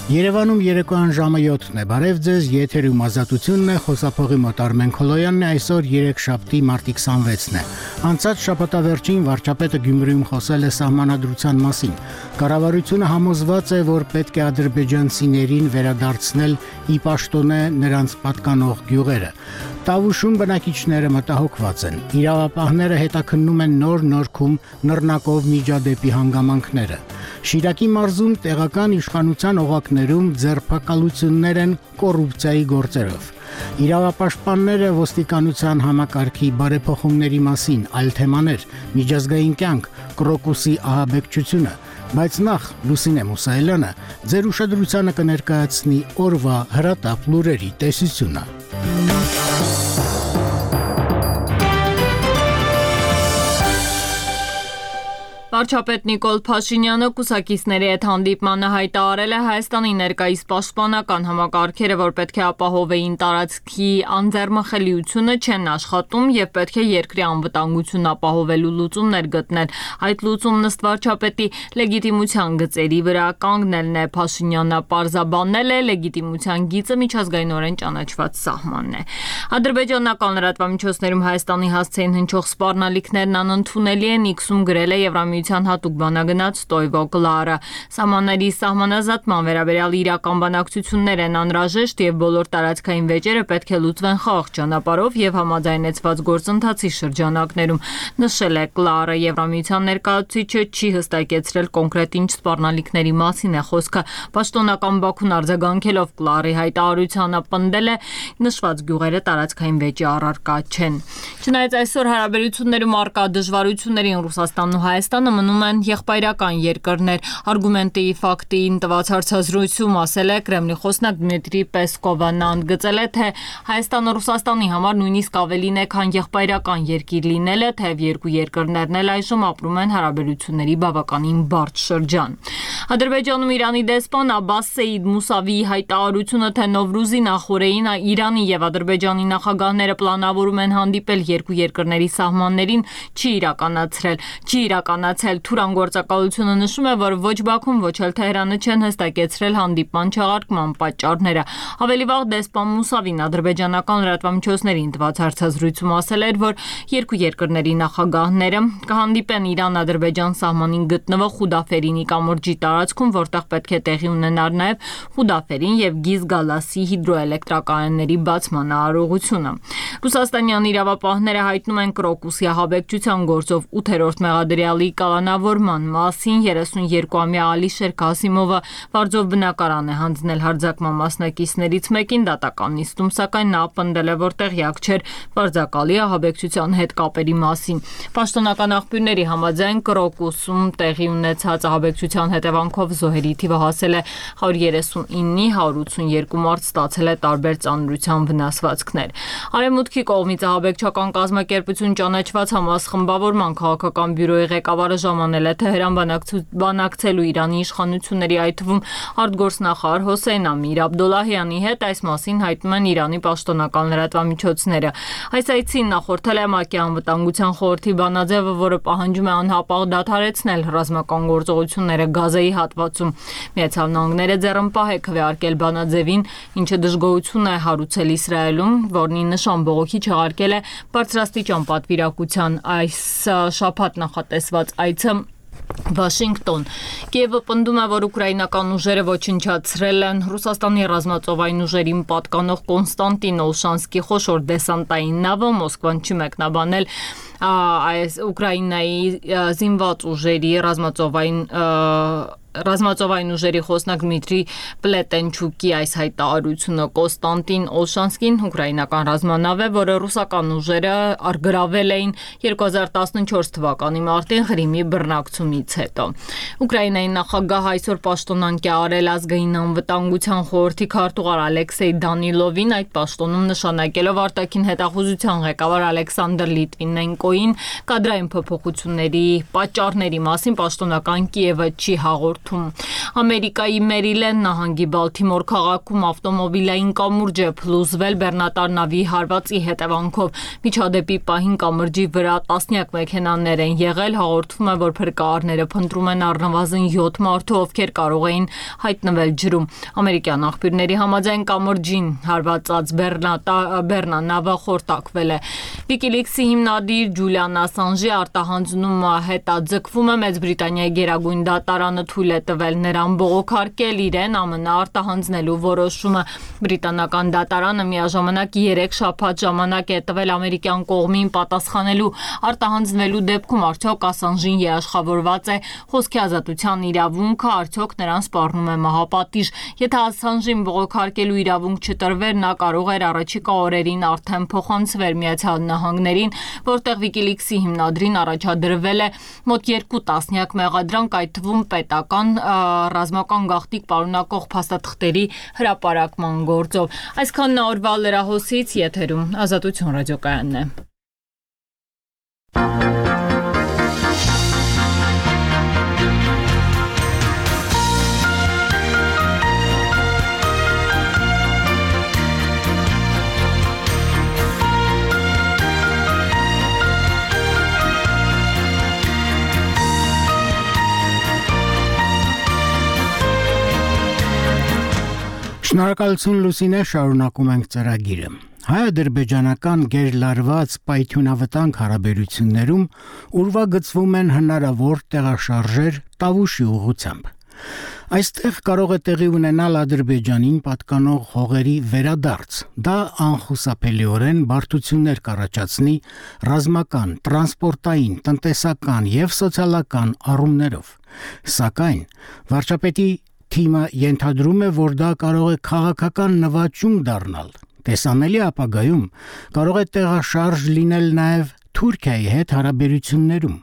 Երևանում երեկոյան ժամը 7-ն է, բարև ձեզ, եթերում ազատությունն է, խոսափողի մոտ Արմեն Քոլոյանն է, այսօր երեքշաբթի մարտի 26-ն է։ Անցած շաբաթավերջին վարչապետը Գյումրիում խոսել է սահմանադրության մասին։ Կառավարությունը համոզված է, որ պետք է ադրբեջանցիներին վերադարձնել ի պաշտոնե նրանց պատկանող գյուղերը։ Տավուշում բնակիչները մտահոգված են։ Իրավապահները հետաքննում են նոր Նորքում նռնակով միջադեպի հանգամանքները։ Շիրակի մարզում տեղական իշխանության օղակներում ձերբակալություններ են կոռուպցիայի գործերով։ Իրավապաշտպանները ոստիկանության համակարգի բարեփոխումների մասին այլ թեմաներ, միջազգային կյանք, Կրոկուսի ահաբեկչությունը, բայց նախ Լուսինե Մուսայելյանը ձեր ուշադրությանը կներկայացնի օրվա հրատապ լուրերի տեսությունը։ Վարչապետ Նիկոլ Փաշինյանը կուսակիցների հետ հանդիպմանը հայտարարել է Հայաստանի ներկայիս պաշտպանական համակարգերը, որ պետք է ապահովեին տարածքի անձեռմխելիությունը, չեն աշխատում եւ պետք է երկրի անվտանգությունն ապահովելու լուծումներ գտնել։ Այդ լուծումն ըստ վարչապետի լեգիտիմության գծերի վրա կանգնելն է։ Փաշինյանը պարզաբանել է լեգիտիմության գիծը միջազգայինորեն ճանաչված սահմանն է։ Ադրբեջանական լրատվամիջոցներում Հայաստանի հասցեին հնչող սպառնալիքներն անընդունելի են, X-ում գրել է Եվրամիության հատուկ բանագնաց Ստոյվո Կլարը։ Սահմանների սահմանազատման վերաբերյալ իրական բանակցություններ են անհրաժեշտ եւ բոլոր տարածքային վեճերը պետք է լուծվեն խաղաղ ճանապարհով եւ համաձայնեցված գործընթացի շրջանակներում, նշել է Կլարը։ Եվրամիության ներկայացուցիչը չի հստակեցրել կոնկրետ ինչ սպառնալիքների մասին է խոսքը։ Պաշտոնական Բաքուն արձագանքելով Կլարի հայտարարությանը պնդել է նշված գյուղերը տարածքային վեճի առարկա չեն։ Չնայած այսօր հարաբերություններում առկա դժվարություններին Ռուսաստանն ու Հայաստանը մնում են եղբայրական երկրներ։ Արգումենտի ֆակտին տված հարցազրույցում ասել է Կրեմլի խոսնակ Դմիտրի Պեսկովը։ Նա ընդգծել է, թե Հայաստանը Ռուսաստանի համար նույնիսկ ավելին է, քան եղբայրական երկիր լինելը, թեև երկու երկրներն էլ այժմ ապրում են հարաբերությունների բավականին բարդ շրջան։ Ադրբեջանում Իրանի դեսպան Աբբաս Սեյիդ Մուսավիի հայտարարությունը, թե Նովրուզի նախօրեին Իրանի եւ Ադրբեջանի նախագահները պլանավորում են հանդիպել երկու երկրների սահմաններին, չի իրականացել։ Թուրան գործակալությունը նշում է, որ ոչ Բաքուն, ոչ էլ Թեհրանը չեն հստակեցրել հանդիպման չեղարկման պատճառները։ Ավելի վաղ դեսպան Մուսավին ադրբեջանական լրատվամիջոցներին տված հարցազրույցում ասել էր, որ երկու երկրների նախագահները կհանդիպեն Իրան-Ադրբեջան սահմանին գտնվող Խուդաֆերինի կամուրջի տարածքում, որտեղ պետք է տեղի ունենար նաև Խուդաֆերին եւ Գիզգալասի հիդրոէլեկտրակայանների բացման արարողությունը։ Ռուսաստանյան իրավապահները հայտնում են Կրոկուսի ահաբեկչության գործով 8-րդ մեղադրյալի կալանավորման մասին։ 32-ամյա Ալիշեր Կասիմովը վարձով բնակարան է հանձնել հարձակման մասնակիցներից մեկին դատական նիստում, սակայն նա պնդել է, որ տեղյակ չէր վարձակալի ահաբեկչության հետ կապերի մասին։ Պաշտոնական աղբյուրների համաձայն Կրոկուսում տեղի ունեցած ահաբեկչության հետևանքով զոհերի թիվը հասել է 139-ի, 182 մարդ ստացել է տարբեր ծանրության վնասվածքներ։ Արևմուտքի կողմից ահաբեկչական կազմակերպություն ճանաչված Համաս խմբավորման քաղաքական բյուրոյի ղեկավարը ժամանել է Թեհրան բանակցելու Իրանի իշխանությունների, այդ թվում արտգործնախարար Հոսեյն Ամիր Աբդոլլահյանի հետ, այս մասին հայտնում են Իրանի պաշտոնական լրատվամիջոցները։ Այս այցին նախորդել է ՄԱԿ-ի անվտանգության խորհրդի բանաձևը, որը պահանջում է անհապաղ դադարեցնել ռազմական գործողությունները Գազայի հատվածում։ Միացյալ Նահանգները ձեռնպահ է քվեարկել բանաձևին, ինչը դժգոհություն է հարուցել Իսրայելում, որն ի նշան բողոքի չեղարկել է բարձրաստիճան պատվիրակության այս շաբաթ նախատեսված այցը Վաշինգտոն։ Կիևը պնդում է, որ ուկրաինական ուժերը ոչնչացրել են Ռուսաստանի ռազմածովային ուժերին պատկանող Կոնստանտին Օլշանսկի խոշոր դեսանտային նավը։ Մոսկվան չի մեկնաբանել Ուկրաինայի զինված ուժերի ռազմածովային ուժերի խոսնակ Դմիտրի Պլետենչուկի այս հայտարարությունը։ Կոնստանտին Օլշանսկին ուկրաինական ռազմանավ է, որը ռուսական ուժերը գրավել էին 2014 թվականի մարտին Ղրիմի բռնակցումից հետո։ Ուկրաինայի նախագահ այսօր պաշտոնանկ է արել ազգային անվտանգության խորհրդի քարտուղար Ալեքսեյ Դանիլովին, այդ պաշտոնում նշանակելով արտաքին հետախուզության ղեկավար Ալեքսանդր Լիտվինենկոին։ Կադրային փոփոխությունների պատճառների մասին պաշտոնական Կիևը չի հաղորդում, հաղորդում։ Ամերիկայի Մերիլենդ նահանգի Բալթիմոր քաղաքում ավտոմոբիլային կամուրջ է փլուզվել բեռնատար նավի հարվածի հետևանքով։ Միջադեպի պահին կամրջի վրա տասնյակ մեքենաներ են եղել, հաղորդվում է, որ փրկարարները փնտրում են առնվազն 7 մարդու, ովքեր կարող էին հայտնվել ջրում։ Ամերիկյան աղբյուրների համաձայն կամրջին հարվածած բեռնանավը խորտակվել է։ WikiLeaks-ի հիմնադիր Ջուլիան Ասանժի արտահանձնումը հետաձգվում է, Մեծ Բրիտանիայի գերագույն դատարանը թույլ է տվել նրան բողոքարկել իրեն ԱՄՆ արտահանձնելու որոշումը։ Բրիտանական դատարանը միաժամանակ 3 շաբաթ ժամանակ է տվել ամերիկյան կողմին պատասխանելու արտահանձնվելու դեպքում արդյոք Ասանժին երաշխավորված է խոսքի ազատության իրավունքը, արդյոք նրան սպառնում է մահապատիժ։ Եթե Ասանժին բողոքարկելու իրավունք չտրվեր, նա կարող էր առաջիկա օրերին արդեն փոխանցվել Միացյալ Նահանգներին, որտեղ WikiLeaks-ի հիմնադրին առաջադրվել է մոտ 2 տասնյակ մեղադրանք, այդ թվում պետական ռազմական գաղտնիք պարունակող փաստաթղթերի հրապարակման գործով։ Այսքանն օրվա լրահոսից, եթերում Ազատություն ռադիոկայանն է։ Շնորհակալություն Լուսինե, շարունակում ենք ծրագիրը։ Հայ-ադրբեջանական գերլարված պայթյունավտանգ հարաբերություններում ուրվագծվում են հնարավոր տեղաշարժեր Տավուշի ուղղությամբ։ Այստեղ կարող է տեղի ունենալ Ադրբեջանին պատկանող հողերի վերադարձ։ Դա անխուսափելիորեն բարդություններ կառաջացնի ռազմական, տրանսպորտային, տնտեսական եւ սոցիալական առումներով։ Սակայն վարչապետի թիմը ենթադրում է, որ դա կարող է քաղաքական նվաճում դառնալ։ Տեսանելի ապագայում կարող է տեղաշարժ լինել նաև Թուրքիայի հետ հարաբերություններում։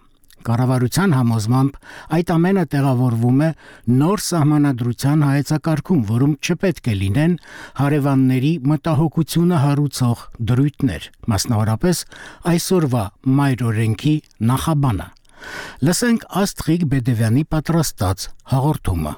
Կառավարության համոզմամբ այդ ամենը տեղավորվում է նոր սահմանադրության հայեցակարգում, որում չպետք է լինեն հարևանների մտահոգությունը հարուցող դրույթներ, մասնավորապես այսօրվա մայրօրենքի նախաբանը։ Լսենք Աստղիկ Բեդևյանի պատրաստած հաղորդումը։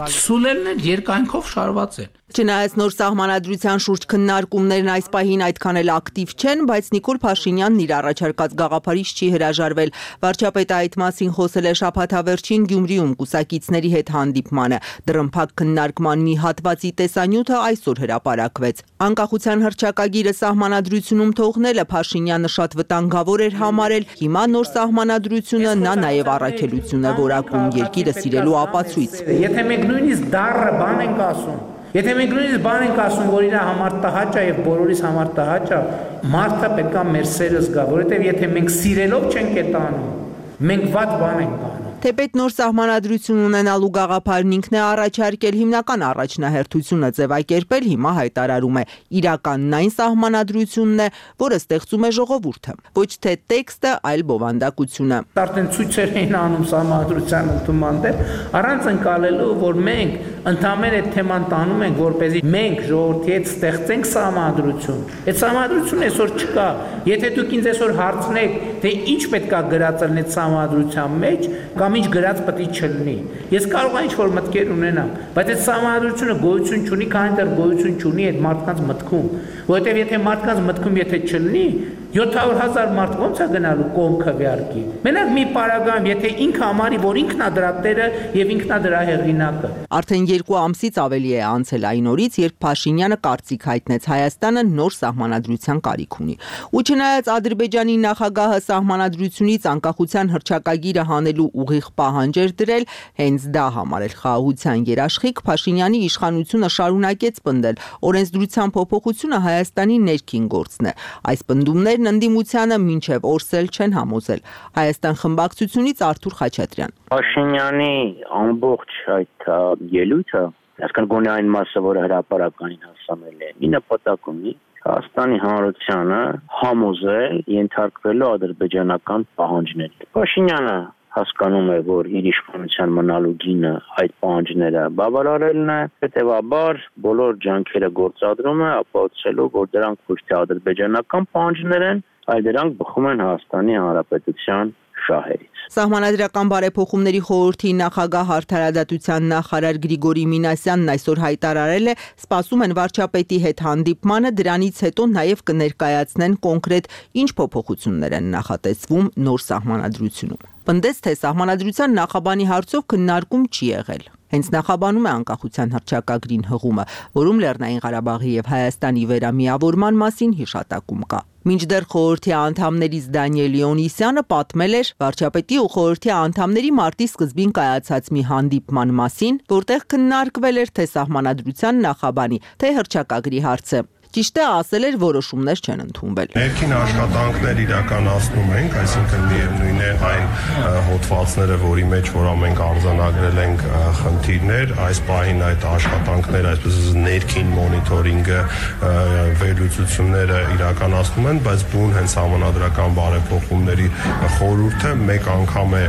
Սուլելներ երկայնքով շարված են։ Չնայած նոր սահմանադրության շուրջ քննարկումներն այս պահին այդքան էլ ակտիվ չեն, բայց Նիկոլ Փաշինյանն իր առաջարկած գաղափարից չի հրաժարվել։ Վարչապետը այդ մասին խոսել է շաբաթավերջին Գյումրիում կուսակիցների հետ հանդիպմանը։ Դռնփակ քննարկման մի հատվածի տեսանյութը այսօր հրապարակվեց։ Անկախության հռչակագիրը սահմանադրությունում թողնելը Փաշինյանը շատ վտանգավոր էր համարել։ Հիմա նոր սահմանադրությունը նա նաև առաքելություն է որակում երկիրը սիրելու ապացույց։ Եթե մենք նույնիսկ դառը բան ենք ասում, եթե մենք նույնիսկ բան ենք ասում, որ իր համար տհաճ է եւ բոլորիս համար տհաճ է, մարդը պետք է մեր սերը զգա, որովհետեւ եթե մենք սիրելով չենք այդ անում, մենք վատ բան ենք անում։ Թեպետ նոր սահմանադրություն ունենալու գաղափարն ինքն է առաջարկել, հիմնական առաջնահերթությունը ձևակերպել, հիմա հայտարարում է իրականն այն սահմանադրությունն է, որը ստեղծում է ժողովուրդը, ոչ թե տեքստը, այլ բովանդակությունը։ Արդեն ցույցեր էին անում սահմանադրության ընդունման դեմ, առանց ընկալելու, որ մենք ընդհանրապես այդ թեման տանում ենք, որպեսզի մենք ժողովրդի հետ ստեղծենք սահմանադրություն։ Այդ սահմանադրությունը այսօր չկա։ Եթե դուք ինձ այսօր հարցնեք, թե ինչ պետք է գրածել այդ սահմանադրության մեջ, կամ ինչ գրած պետք է չլինի։ Ես կարող եմ ինչ-որ մտքեր ունենամ, բայց այդ սահմանադրությունը գոյություն չունի, քանի դեռ գոյություն չունի այդ մարդկանց մտքում, որովհետև եթե մարդկանց մտքում եթե չլինի, 700,000 մարդ ոնց է գնալու կողմ քվեարկի։ Մենակ մի պարագայում, եթե ինքը համարի, որ ինքն է դրա տերը եւ ինքն է դրա հեղինակը։ Արդեն 2 ամսից ավելի է անցել այն օրից, երբ Փաշինյանը կարծիք հայտնեց Հայաստանը նոր սահմանադրության կարիք ունի։ Ու չնայած Ադրբեջանի նախագահը սահմանադրությունից անկախության հռչակագիրը հանելու ուղիղ պահանջ էր դրել, հենց դա համարել խաղաղության երաշխիք, Փաշինյանի իշխանությունը շարունակեց պնդել, օրենսդրության փոփոխությունը Հայաստանի ներքին գործն է։ Այս պնդումներն ընդդիմությանը մինչև օրսել չեն համոզել։ Հայաստան խմբակցությունից Արթուր Խաչատրյան։ Փաշինյանի ամբողջ այդ ելույթը, այսինքն գոնե այն մասը, որը հրապարականին հասանել է, մի նպատակ ունի Հայաստանի Հանրությանը համոզել ենթարկվելու ադրբեջանական պահանջներին։ Փաշինյանը հասկանում է, որ իր իշխանության մնալու գինը այդ պահանջները բավարարելն է, հետևաբար բոլոր ջանքերը գործադրում է ապացուցելու, որ դրանք ոչ թե ադրբեջանական պահանջներ են, այլ դրանք բխում են Հայաստանի Հանրապետության շահերից։ Սահմանադրական բարեփոխումների խորհրդի նախագահ Արդարադատության նախարար Գրիգորի Մինասյանն այսօր հայտարարել է, սպասում են վարչապետի հետ հանդիպմանը, դրանից հետո նաև կներկայացնեն կոնկրետ ինչ փոփոխություններ են նախատեսվում նոր սահմանադրությունում։ Պնդեց, թե սահմանադրության նախաբանի հարցով քննարկում չի եղել։ Հենց նախաբանում է անկախության հռչակագրին հղումը, որում Լեռնային Ղարաբաղի եւ Հայաստանի վերամիավորման մասին հիշատակում կա։ Մինչդեռ խորհրդի անդամներից Դանիել Լեոնիսյանը պատմել էր վարչապետի ու խորհրդի անդամների մարտի սկզբին կայացած մի հանդիպման մասին, որտեղ քննարկվել էր թե սահմանադրության նախաբանի, թե հռչակագրի հարցը։ Ճիշտ է, ասել էր, որոշումներ չեն ընդունվել։ Ներքին աշխատանքներ իրականացնում ենք, այսինքն միևնույն է այն հոդվածները, որի մեջ որ մենք արձանագրել ենք խնդիրներ, այս պահին այդ աշխատանքները, այսպես ներքին մոնիտորինգը, վերլուծությունները իրականացնում են, բայց բուն հենց համանadrական բարեփոխումների խորհուրդը մեկ անգամ է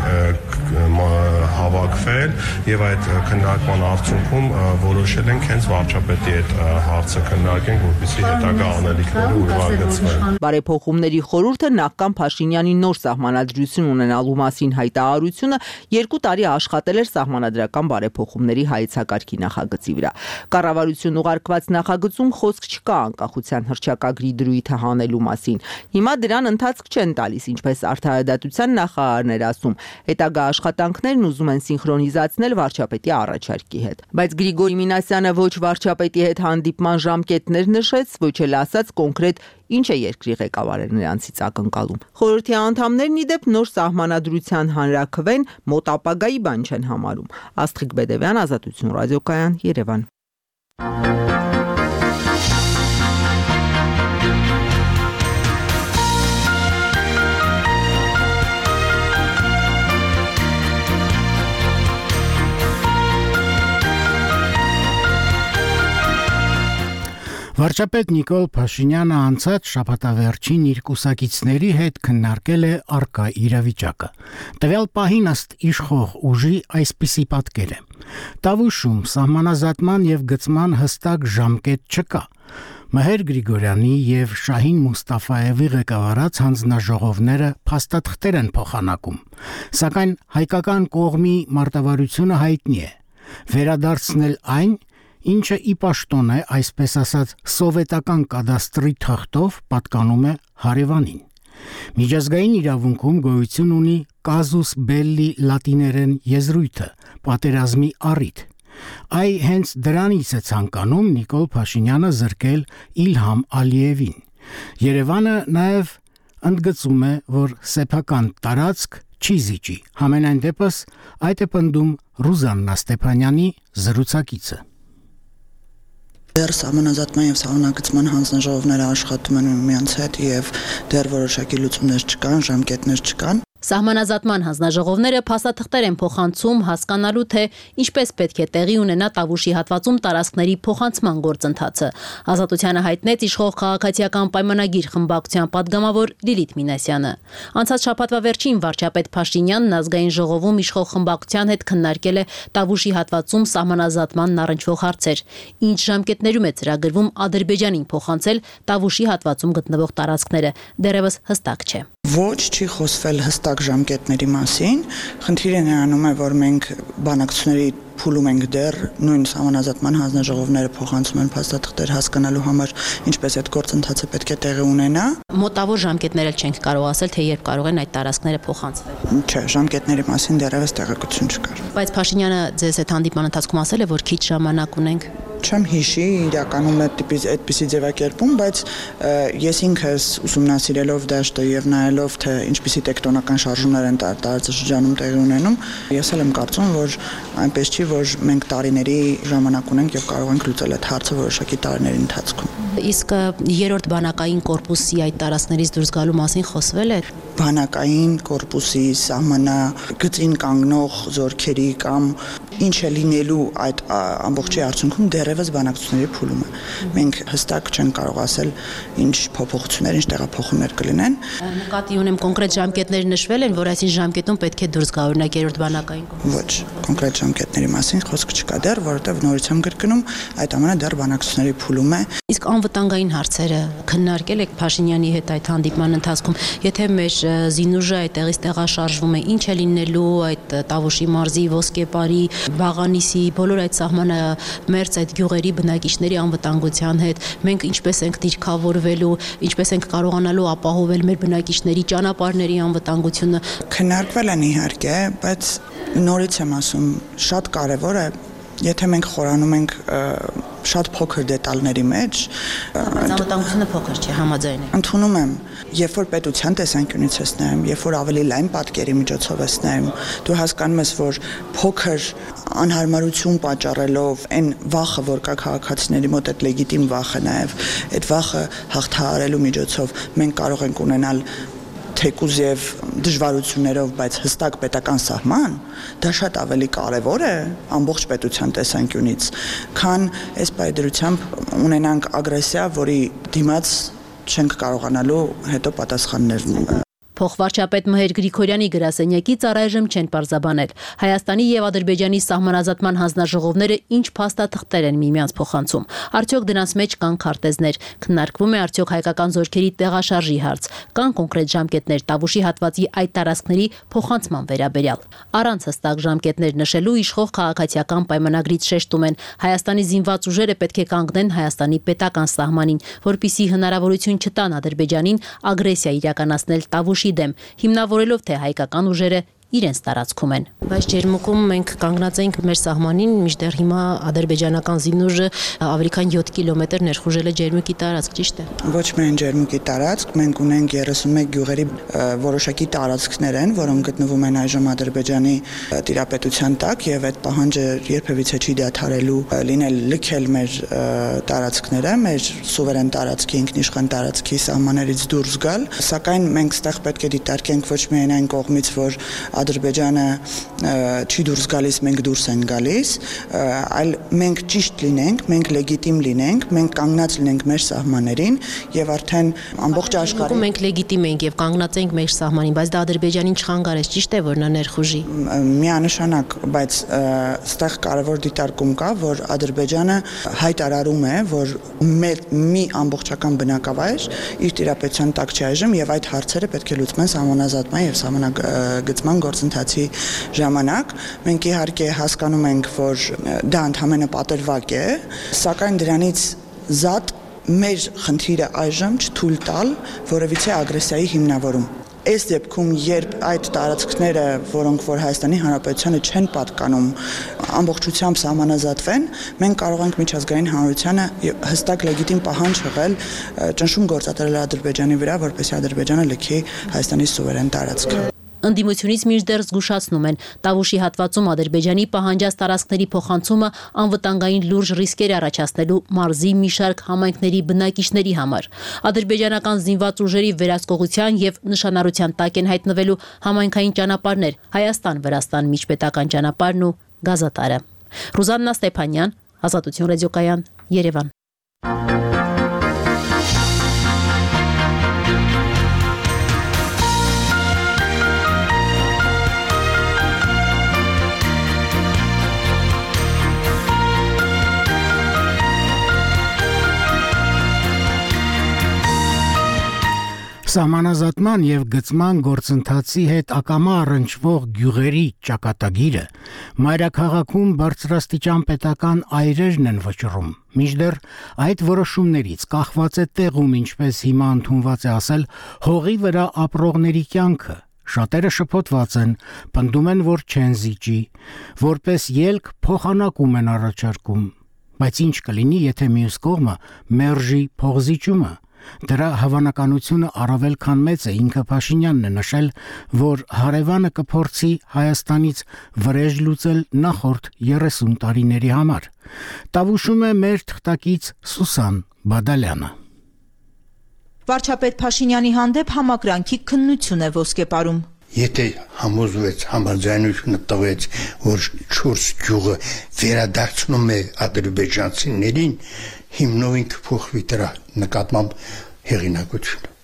հավաքվել եւ այդ քննարկման արդյունքում որոշել ենք հենց վարչապետի հետ հարցը քննարկենք, որպեսզի հետագա անելիքները ուրվագծվեն։ Բարեփոխումների խորհուրդը նախքան Փաշինյանի նոր սահմանադրություն ունենալու մասին հայտարարությունը 2 տարի աշխատել էր սահմանադրական բարեփոխումների հայեցակարգի նախագծի վրա։ Կառավարություն ուղարկված նախագծում խոսք չկա անկախության հռչակագրի դրույթը հանելու մասին։ Հիմա դրան ընթացք չեն տալիս, ինչպես Արդարադատության նախարարն էր ասում։ Հետագա աշխատանքներն ուզում են սինխրոնիզացնել վարչապետի առաջարկի հետ։ Բայց Գրիգորի Մինասյանը ոչ վարչապետի հետ հանդիպման ժամկետներ նշեց, ոչ էլ ասաց կոնկրետ ինչ է երկրի ղեկավարը նրանցից ակնկալում։ Խորհրդի անդամներն ի դեպ նոր սահմանադրության հանրաքվեն մոտ ապագայի բան չեն համարում։ Աստղիկ Բեդևյան, Ազատություն ռադիոկայան, Երևան։ Վարչապետ Նիկոլ Փաշինյանը անցած շաբաթավերջին իր կուսակիցների հետ քննարկել է առկա իրավիճակը։ Տվյալ պահին ըստ իշխող ուժի այսպիսի պատկեր է. Տավուշում սահմանազատման եւ գծման հստակ ժամկետ չկա։ Մհեր Գրիգորյանի եւ Շահին Մուստաֆաևի ղեկավարած հանձնաժողովները փաստաթղթեր են փոխանակում, սակայն հայկական կողմի մարտավարությունը հայտնի է։ Վերադարձնել այն, ինչը ի պաշտոն է, այսպես ասած, սովետական կադաստրի թղթով պատկանում է հարևանին։ Միջազգային իրավունքում գոյություն ունի casus belli լատիներեն եզրույթը, պատերազմի առիթ։ Այ հենց դրանից է ցանկանում Նիկոլ Փաշինյանը զրկել Իլհամ Ալիևին։ Երևանը նաև ընդգծում է, որ սեփական տարածք չի զիջի։ Համենայն դեպս այդ է պնդում Ռուզաննա Ստեփանյանի զրուցակիցը։ Դեռ սահմանազատման եւ սահմանագծման հանձնաժողովները աշխատում են միմյանց հետ եւ դեռ որոշակի լուծումներ չկան, ժամկետներ չկան։ Սահմանազատման հանձնաժողովները փաստաթղթեր են փոխանցում հասկանալու, թե ինչպես պետք է տեղի ունենա Տավուշի հատվածում տարածքների փոխանցման գործընթացը։ Ազատությանը հայտնեց իշխող քաղաքացիական պայմանագիր խմբակցության падգամավոր Լիլիթ Մինասյանը։ Անցած շաբաթվա վերջին վարչապետ Փաշինյանն ազգային ժողովում իշխող խմբակցության հետ քննարկել է Տավուշի հատվածում սահմանազատմանն առնչվող հարցեր։ Ինչ ժամկետներում է ծրագրվում Ադրբեջանին փոխանցել Տավուշի հատվածում գտնվող տարածքները, դեռևս հստակ չէ։ Ոչ, չի խոսվել հստակ ժամկետների մասին։ Խնդիրը նրանում է, որ մենք բանակցությունների փուլում ենք դեռ, նույն սահմանազատման հանձնաժողովները փոխանցում են փաստաթղթեր հասկանալու համար, ինչպես այդ գործընթացը պետք է տեղի ունենա։ Մոտավոր ժամկետներ էլ չենք կարող ասել, թե երբ կարող են այդ տարածքները փոխանցվել։ Չէ, ժամկետների մասին դեռևս տեղեկություն չկար։ Բայց Փաշինյանը ձեզ այդ հանդիպման ընթացքում ասել է, որ քիչ ժամանակ ունենք։ Չեմ հիշի իրականում այդպիսի ձևակերպում, բայց ես ինքս ուսումնասիրելով դաշտը եւ նայելով թե ինչպիսի տեկտոնական շարժումներ են տարածաշրջանում տեղի ունենում, ես էլ եմ կարծում, որ այնպես չի, որ մենք տարիների ժամանակ ունենք եւ կարող ենք լուծել այդ հարցը որոշակի տարիների ընթացքում։ Իսկ երրորդ բանակային կորպուսի այդ տարածքներից դուրս գալու մասին խոսվել է։ Բանակային կորպուսի սահմանագծին կանգնող զորքերի կամ ինչ է լինելու այդ ամբողջի արդյունքում դեռևս բանակցությունների փուլում է։ Մենք հստակ չենք կարող ասել ինչ փոփոխություններ, ինչ տեղափոխումներ կլինեն։ Նկատի ունեմ կոնկրետ ժամկետներ նշվել են, որ այսին ժամկետում պետք է դուրս գա օրինակ երրորդ բանակային կորպուսը։ Ոչ, կոնկրետ ժամկետների մասին խոսք չկա դեռ, որովհետև նորից եմ կրկնում, այդ ամենը դեռ բանակցությունների փուլում է։ Իսկ անվտանգային հարցերը քննարկել եք Փաշինյանի հետ այդ հանդիպման ընթացքում, եթե մեր զինուժը այդտեղից տեղաշարժվում է, ինչ է լինելու այդ Տավուշի մարզի, Ոսկեպարի, Վաղանիսի, բոլոր այդ սահմանամերձ այդ գյուղերի բնակիչների անվտանգության հետ, մենք ինչպես ենք դիրքավորվելու, ինչպես ենք կարողանալու ապահովել մեր բնակիչների ճանապարհների անվտանգությունը։ Քննարկվել են իհարկե, բայց նորից եմ ասում, շատ կարևոր է, եթե մենք խորանում ենք շատ փոքր դետալների մեջ, անվտանգությունը փոքր չէ, համաձայն եմ։ Ընդունում եմ, երբ որ պետության տեսանկյունից ես նայում, երբ որ ավելի լայն պատկերի միջոցով ես նայում, դու հասկանում ես, որ փոքր անհարմարություն պատճառելով այն վախը, որ կա քաղաքացիների մոտ, այդ լեգիտիմ վախը նաև, այդ վախը հաղթահարելու միջոցով մենք կարող ենք ունենալ թեկուզ եւ դժվարություններով, բայց հստակ պետական սահման, դա շատ ավելի կարևոր է ամբողջ պետության տեսանկյունից, քան այս պայդրությամբ ունենանք ագրեսիա, որի դիմաց չենք կարողանալու հետո պատասխաններ Փոխվարչապետ Մհեր Գրիգորյանի գրասենյակից առայժմ չեն պարզաբանել Հայաստանի եւ Ադրբեջանի սահմանազատման հանձնաժողովները ինչ փաստաթղթեր են միմյանց փոխանցում։ Արդյոք դրանց մեջ կան քարտեզներ, քննարկվում է արդյոք հայկական զորքերի տեղաշարժի հարց, կան կոնկրետ ժամկետներ Տավուշի հատվածի այդ տարածքների փոխանցման վերաբերյալ։ Առանց հստակ ժամկետներ նշելու իշխող քաղաքացիական պայմանագրից շեշտում են Հայաստանի զինված ուժերը պետք է կանգնեն Հայաստանի պետական սահմանին, որպիսի հնարավորություն չտան Ադրբեջանին ագրեսիա իրականացնել Տավուշի դեմ, հիմնավորելով թե հայկական ուժերը իրենց տարածքում են։ Բայց Ջերմուկում մենք կանգնած ենք մեր սահմանին, մինչդեռ հիմա ադրբեջանական զինուժը ավելի քան 7 կիլոմետր ներխուժել է Ջերմուկի տարածք, ճիշտ է։ Ոչ միայն Ջերմուկի տարածք, մենք ունենք 31 գյուղերի որոշակի տարածքներ են, որոնք գտնվում են այժմ Ադրբեջանի տիրապետության տակ, եւ այդ պահանջը երբևիցե չի դադարելու լինել լքել մեր տարածքները, մեր սուվերեն տարածքի, ինքնիշխան տարածքի սահմաններից դուրս գալ, սակայն մենք ստեղ պետք է դիտարկենք ոչ միայն այն կողմից, որ Ադրբեջանը չի դուրս գալիս, մենք դուրս են գալիս, այլ մենք ճիշտ լինենք, մենք լեգիտիմ լինենք, մենք կանգնած լինենք մեր սահմաններին եւ արդեն ամբողջ աշխարհում մենք լեգիտիմ ենք եւ կանգնած ենք մեր սահմանին, բայց դա Ադրբեջանին չխանգարեց, ճիշտ է, որ նա ներխուժի։ Միանշանակ, բայց այստեղ կարևոր դիտարկում կա, որ Ադրբեջանը հայտարարում է, որ մի ամբողջական բնակավայր իր տիրապետության տակ չի այժմ եւ այդ հարցերը պետք է լուծվեն սահմանազատման եւ սահմանագծման գործընթացի ժամանակ։ Մենք իհարկե հասկանում ենք, որ դա ընդհանրապես պատրվակ է, սակայն դրանից զատ մեր խնդիրը այժմ չթույլ տալ որևիցե ագրեսիայի հիմնավորում։ Այս դեպքում, երբ այդ տարածքները, որոնք որ Հայաստանի Հանրապետությանը չեն պատկանում, ամբողջությամբ սահմանազատվեն, մենք կարող ենք միջազգային հանրությանը հստակ լեգիտիմ պահանջ հղել ճնշում գործադրել Ադրբեջանի վրա, որպեսզի Ադրբեջանը լքի Հայաստանի սուվերեն տարածքը։ Ընդդիմությունից մինչդեռ զգուշացնում են Տավուշի հատվածում Ադրբեջանի պահանջած տարածքների փոխանցումը անվտանգային լուրջ ռիսկեր առաջացնելու մարզի մի շարք համայնքների բնակիչների համար։ Ադրբեջանական զինված ուժերի վերահսկողության եւ նշանառության տակ են հայտնվելու համայնքային ճանապարհներ, Հայաստան-Վրաստան միջպետական ճանապարհն ու գազատարը։ Ռուզաննա Ստեփանյան, Ազատություն ռադիոկայան, Երևան։ Սահմանազատման եւ գծման գործընթացի հետ ակամա առնչվող գյուղերի ճակատագիրը մայրաքաղաքում բարձրաստիճան պետական այրերն են վճռում։ Մինչդեռ այդ որոշումներից կախված է տեղում, ինչպես հիմա ընդունված է ասել, հողի վրա ապրողների կյանքը։ Շատերը շփոթված են, պնդում են, որ չեն զիջի, որպես ելք փոխանակում են առաջարկում։ Բայց ինչ կլինի, եթե մյուս կողմը մերժի փողզիջումը։ Դրա հավանականությունը առավել քան մեծ է, ինքը Փաշինյանն է նշել, որ հարևանը կփորձի Հայաստանից վրեժ լուծել նախորդ 30 տարիների համար։ Տավուշում է մեր թղթակից Սուսան Բադալյանը։ Վարչապետ Փաշինյանի հանդեպ համակրանքի քննություն է Ոսկեպարում։ Եթե համոզվեց, համաձայնությունը տվեց, որ 4 գյուղը վերադարձնում է ադրբեջանցիներին, հիմնովին կփոխվի դրա նկատմամբ հեղինակությունը։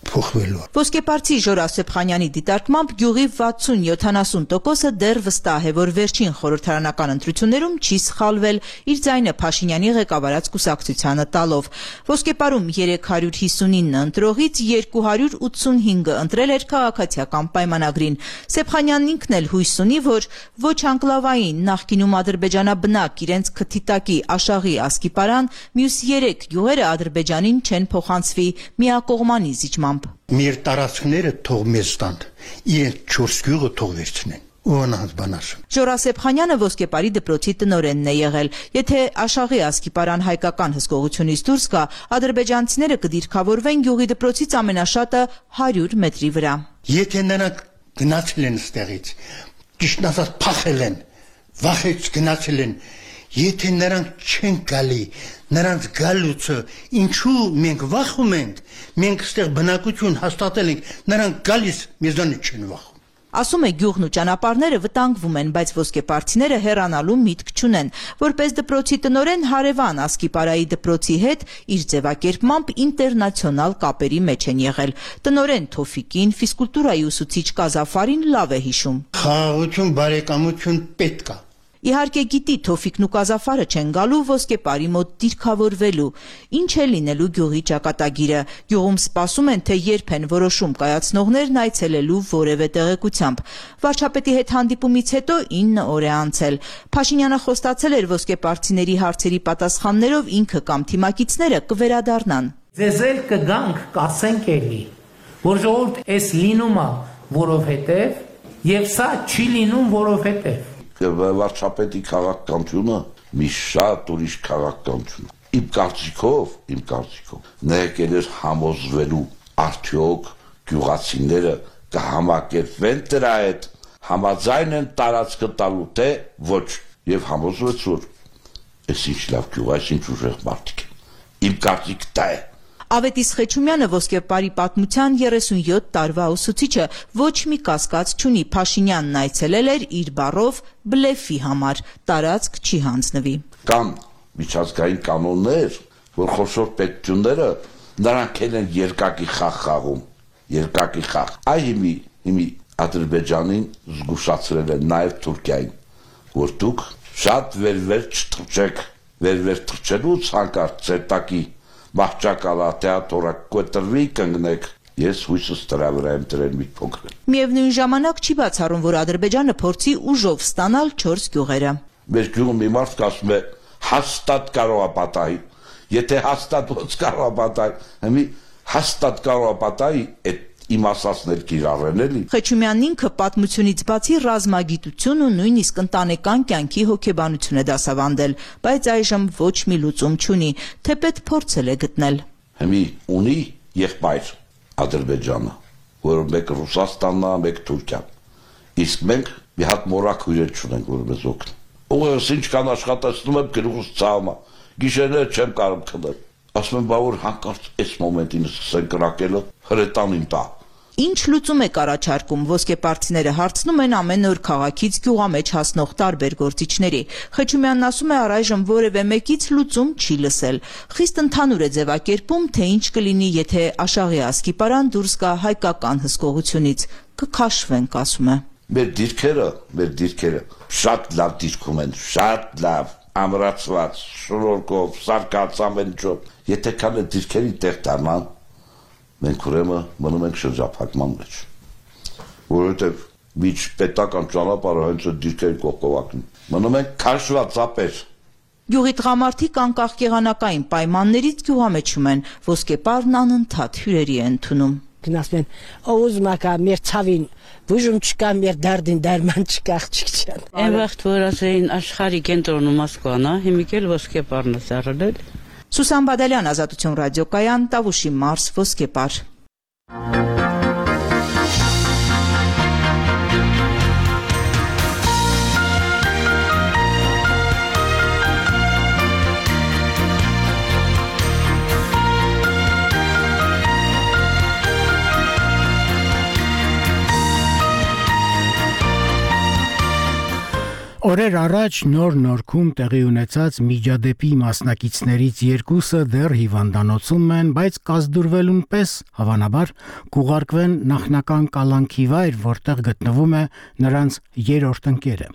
փոխվելու։ Ոսկեպարցի Ժորա Սեփխանյանի դիտարկմամբ գյուղի 60-70%-ը դեռ վստահ է, որ վերջին խորհրդարանական ընտրություններում չի սխալվել, իր ձայնը Փաշինյանի ղեկավարած կուսակցությանը տալով։ Ոսկեպարում 359 ընտրողից 285-ը ընտրել էր քաղաքացիական պայմանագրին։ Սեփխանյանն ինքն էլ հույս ունի, որ ոչ անկլավային նախկինում ադրբեջանաբնակ իրենց քթիտակի Աշաղի Ասկիպարան, մյուս 3 գյուղերը Ադրբեջանին չեն փոխանցվի միակողմանի զիջմամբ։ Մեր տարածքները թող մեզ տան, իրենք 4 գյուղը թող վերցնեն։ Ոնց բան ասում։ Ժորա Սեփխանյանը Ոսկեպարի դպրոցի տնօրենն է եղել։ Եթե Աշաղի Ասկիպարան հայկական հսկողությունից դուրս գա, ադրբեջանցիները կդիրքավորվեն գյուղի դպրոցից ամենաշատը 100 մետրի վրա։ Եթե նրանք գնացել են ստեղից, ճիշտ ասած փախել են, վախից գնացել են, եթե նրանք չեն գալի, նրանց գալուցը ինչու մենք վախում ենք, մենք ստեղ բնակություն հաստատել ենք, նրանք գալիս մեզանից չեն վախում։ Ասում է գյուղն ու ճանապարհները վտանգվում են, բայց ոսկեպարցիները հեռանալու միտք չունեն։ Որպես դպրոցի տնօրեն հարևան Ասկիպարայի դպրոցի հետ իր ձևակերպմամբ ինտերնացիոնալ կապերի մեջ են եղել։ Տնօրեն Թոֆիկին, ֆիզկուլտուրայի ուսուցիչ Կազաֆարին լավ է հիշում։ Խաղաղություն, բարեկամություն պետք է։ Իհարկե գիտի Թոֆիկն ու Կազաֆարը չեն գալու Ոսկեպարի մոտ դիրքավորվելու։ Ինչ է լինելու գյուղի ճակատագիրը։ Գյուղում սպասում են, թե երբ են որոշում կայացնողներն այցելելու որևէ տեղեկությամբ։ Վարչապետի հետ հանդիպումից հետո 9 օր է անցել։ Փաշինյանը խոստացել էր ոսկեպարցիների հարցերի պատասխաններով ինքը կամ թիմակիցները կվերադառնան։ Ձեզ էլ կգանք, կասենք էլի, որ ժողովուրդ էս լինում է, որովհետև եւ սա չի լինում, որովհետև վարչապետի քաղաքականությունը մի շատ ուրիշ քաղաքականություն։ Իմ կարծիքով նա եկել էր համոզվելու արդյոք գյուղացիները կհամակերպվեն դրա հետ, համաձայն են տարածքը տալու թե ոչ, եւ համոզվեց որ այս ինչ լավ գյուղ, այս ինչ ուժեղ մարդիկ են։ Իմ կարծիքը դա է։ Ավետիս Խեչումյանը Ոսկեպարի պատմության 37 տարվա ուսուցիչը ոչ մի կասկած չունի Փաշինյանն այցելել էր իր բառով բլեֆի համար, տարածք չի հանձնվի։ Կան միջազգային կանոններ, որ խոշոր պետությունները նրանք են երկակի խաղ խաղում, երկակի խաղ։ Այ հիմի Ադրբեջանին զգուշացրել են նաև Թուրքիային, որ դուք շատ վեր չթռչեք, վեր թռչելուց հանկարծ ծերտակի Մահճակալա թեատրը կոտրվի կանգնեք, ես հույսս դրա վրա եմ դրել մի փոքր։ Միևնույն ժամանակ չի բացառում, որ Ադրբեջանը փորձի ուժով ստանալ 4 գյուղերը։ Մեր գյուղում մի մարդ ասում է հաստատ կարող է պատահի, եթե հաստատ ոնց կարող է պատահի, հիմի հաստատ կարող է պատահի, այդ իմ ասածներ կիրառեն էլի։ Խեչումյանն ինքը պատմությունից բացի ռազմագիտություն ու նույնիսկ ընտանեկան կյանքի հոգեբանություն է դասավանդել, բայց այժմ ոչ մի լուծում չունի, թեպետ փորձել է գտնել։ Հիմի ունի եղբայր Ադրբեջանը, որը մեկ Ռուսաստանն է, մեկ Թուրքիան։ Իսկ մենք մի հատ մորակ հյուրեր չունենք, որ մեզ օգնի։ Ուղղակի ինչքան աշխատացնում եմ, գլուխս ցավում է։ Գիշերները չեմ կարող քնել։ Ասում եմ, բա որ հանկարծ այս մոմենտին սկսեն կրակելը, հրետանին տա։ Ինչ լուծում եք առաջարկում, ոսկեպարցիները հարցնում են ամեն օր քաղաքից գյուղամեջ հասնող տարբեր գործիչների։ Խեչումյանն ասում է առայժմ որևէ մեկից լուծում չի լսել։ Խիստ ընդհանուր է ձևակերպում, թե ինչ կլինի, եթե Աշաղի Ասկիպարան դուրս գա հայկական հսկողությունից։ Կքաշվենք, ասում է։ Մեր դիրքերը շատ լավ դիրքում են, շատ լավ, ամրացված, շնորհքով, սարկած ամեն ինչով։ Եթե կան այդ դիրքերի տեղ դառնան, մենք ուրեմն մնում ենք շրջափակման մեջ, որովհետև միջ պետական ճանապարհը հենց այդ դիրքերի կողքովակն մնում ենք քաշված ապեր։ Գյուղի տղամարդիկ անկախ եղանակային պայմաններից գյուղամեջում են, ոսկեպարն անընդհատ հյուրերի է ընդունում։ Գնացում են, ուզում ակա մեր ցավին, բուժում չկա, մեր դարդին դարման չկա, աղջիկ չան։ Այն վաղտ որ ասեին աշխարհի կենտրոնը Մոսկվան է, հիմա էլ Ոսկեպարն է սարել։ Սուսան Բադալյան, Ազատություն ռադիոկայան, Տավուշի մարզ, Ոսկեպար։ Օրեր Օրեր առաջ Նոր Նորքում տեղի ունեցած միջադեպի մասնակիցներից երկուսը դեռ հիվանդանոցում են, բայց կազդուրվելուն պես հավանաբար կուղարկվեն նախնական կալանքի վայր, որտեղ գտնվում է նրանց երրորդ ընկերը։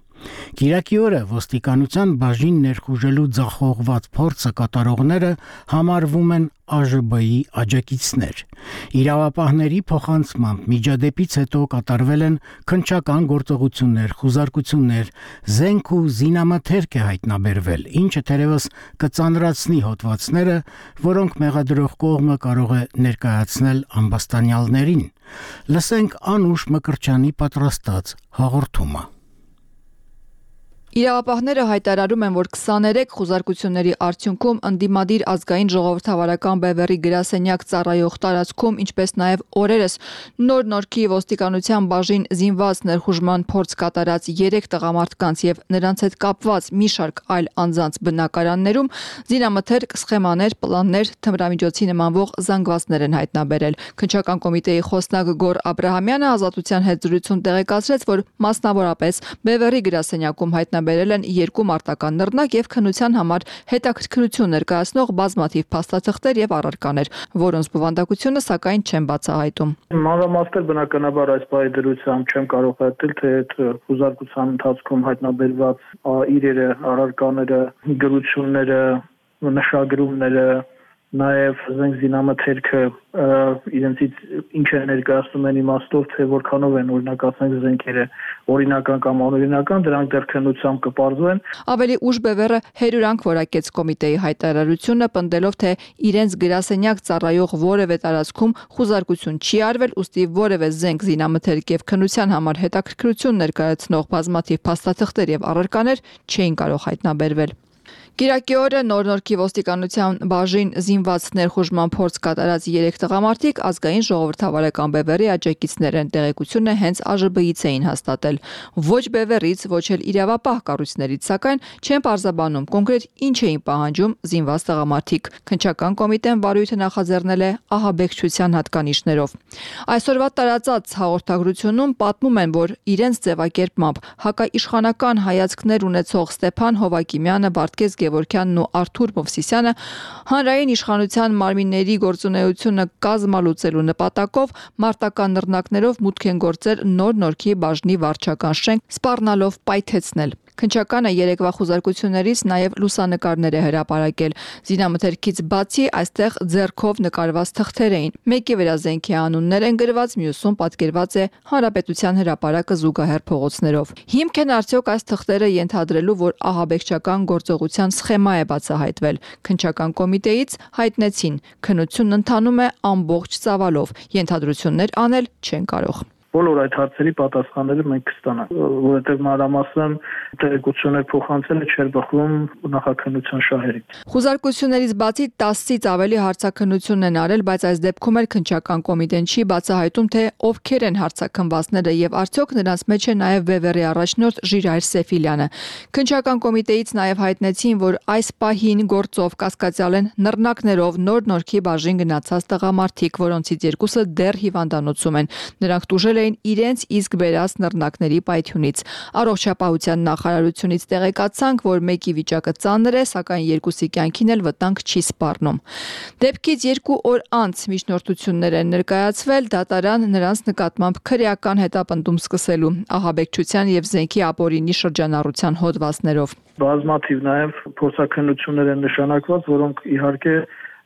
Կիրակի օրը ոստիկանության բաժին ներխուժելու ձախողված փորձը կատարողները համարվում են ԱԺԲ-ի աջակիցներ։ Իրավապահների փոխանցմամբ միջադեպից հետո կատարվել են քննչական գործողություններ, խուզարկություններ, զենք ու զինամթերք է հայտնաբերվել, ինչը թերևս կծանրացնի հոդվածները, որոնք մեղադրող կողմը կարող է ներկայացնել ամբաստանյալներին։ Լսենք Անուշ Մկրտչյանի պատրաստած հաղորդումը։ Իրավապահները հայտարարում են, որ 23 խուզարկությունների արդյունքում ընդդիմադիր ազգային ժողովրդավարական բևեռի գրասենյակ ծառայող տարածքում, ինչպես նաև օրերս Նոր Նորքի ոստիկանության բաժին զինված ներխուժման փորձ կատարած 3 տղամարդկանց եւ նրանց հետ կապված մի շարք այլ անձանց բնակարաններում զինամթերք, սխեմաներ, պլաններ, թմրամիջոցի նմանվող զանգվածներ են հայտնաբերել։ Քննչական կոմիտեի խոսնակ Գոր Աբրահամյանը Ազատության հետ զրույցում տեղեկացրեց, որ մասնավորապես բևեռի գրասենյակում հայտնաբերել են 2 մարտական նռնակ եւ քննության համար հետաքրքրություն ներկայացնող բազմաթիվ փաստաթղթեր եւ առարկաներ, որոնց բովանդակությունը սակայն չեն բացահայտում։ Մանրամասներ բնականաբար այս պահի դրությամբ չեմ կարող հայտնել, թե այդ խուզարկության ընթացքում հայտնաբերված իրերը, առարկաները, գրությունները, նշագրումները, նաև զենք զինամթերքը իրենցից ինչ է ներկայացնում են իմաստով, թե որքանով են օրինակ ասենք զենքերը օրինական կամ անօրինական, դրանք դեռ քննությամբ կպարզվեն։ Ավելի ուշ բևեռը հերյուրանք որակեց կոմիտեի հայտարարությունը, պնդելով, թե իրենց գրասենյակ ծառայող որևէ տարածքում խուզարկություն չի արվել, ուստի որևէ զենք զինամթերք եւ քննության համար հետաքրքրություն ներկայացնող բազմաթիվ փաստաթղթեր եւ առարկաներ չէին կարող հայտնաբերվել։ Կիրակի օրը Նոր Նորքի ոստիկանության բաժին զինված ներխուժման փորձ կատարած 3 տղամարդիկ ազգային ժողովրդավարական բևեռի աջակիցներ են, տեղեկությունը հենց ԱԺԲ-ից էին հաստատել։ Ոչ բևեռից, ոչ էլ իրավապահ կառույցներից, սակայն չեն պարզաբանում կոնկրետ ինչ էին պահանջում զինված տղամարդիկ։ Քննչական կոմիտեն վարույթը նախաձեռնել է ահաբեկչության հատկանիշներով։ Այսօրվա տարածած հաղորդագրությունում պատմում են, որ իրենց ձևակերպմամբ հակաիշխանական հայացքներ ունեցող Ստեփան Հովակիմյանը, Վարդգես Գևորգյանն ու Արթուր Մովսիսյանը հանրային իշխանության մարմինների գործունեությունը կազմալուծելու նպատակով մարտական նռնակներով մուտք են գործել Նոր Նորքի բաժնի վարչական շենք, սպառնալով պայթեցնել։ Քննչականը երեկվա խուզարկություններից նաև լուսանկարներ է հրապարակել։ Զինամթերքից բացի այստեղ ձեռքով նկարված թղթեր էին։ Մեկի վրա զենքի անուններ են գրված, մյուսում պատկերված է Հանրապետության հրապարակը զուգահեռ փողոցներով։ Հիմք են արդյոք այս թղթերը ենթադրելու, որ ահաբեկչական գործողության սխեմա է բացահայտվել։ Քննչական կոմիտեից հայտնեցին, քննությունն ընթանում է ամբողջ ծավալով, ենթադրություններ անել չեն կարող։ Բոլոր այդ հարցերի պատասխանները մենք կստանանք, որովհետև մանրամասն տեղեկություններ փոխանցելը չէր բխում նախաքննության շահերից։ Խուզարկություններից բացի 10-ից ավելի հարցաքննություն են արել, բայց այս դեպքում էլ քննչական կոմիտեն չի բացահայտում, թե ովքեր են հարցաքննվածները եւ արդյոք նրանց մեջ է նաեւ Բևեռի առաջնորդ Ժիրայր Սեֆիլյանը։ Քննչական կոմիտեից նաեւ հայտնեցին, որ այս պահին գործով կասկածյալ են նռնակներով Նոր Նորքի բաժին գնացած տղամարդիկ, որոնցից երկուսը դեռ հիվանդանոցում են։ Նրանք տուժել էին իրենց իսկ բերած նռնակների պայթյունից։ Առողջապահության նախարարությունից տեղեկացանք, որ մեկի վիճակը ծանր է, սակայն երկուսի կյանքին էլ վտանգ չի սպառնում։ Դեպքից 2 օր անց միջնորդություններ են ներկայացվել, դատարան նրանց նկատմամբ քրեական հետապնդում սկսելու ահաբեկչության եւ զենքի ապօրինի շրջանառության հոդվածներով։ Բազմաթիվ նաեւ փորձաքննություններ են նշանակված, որոնք իհարկե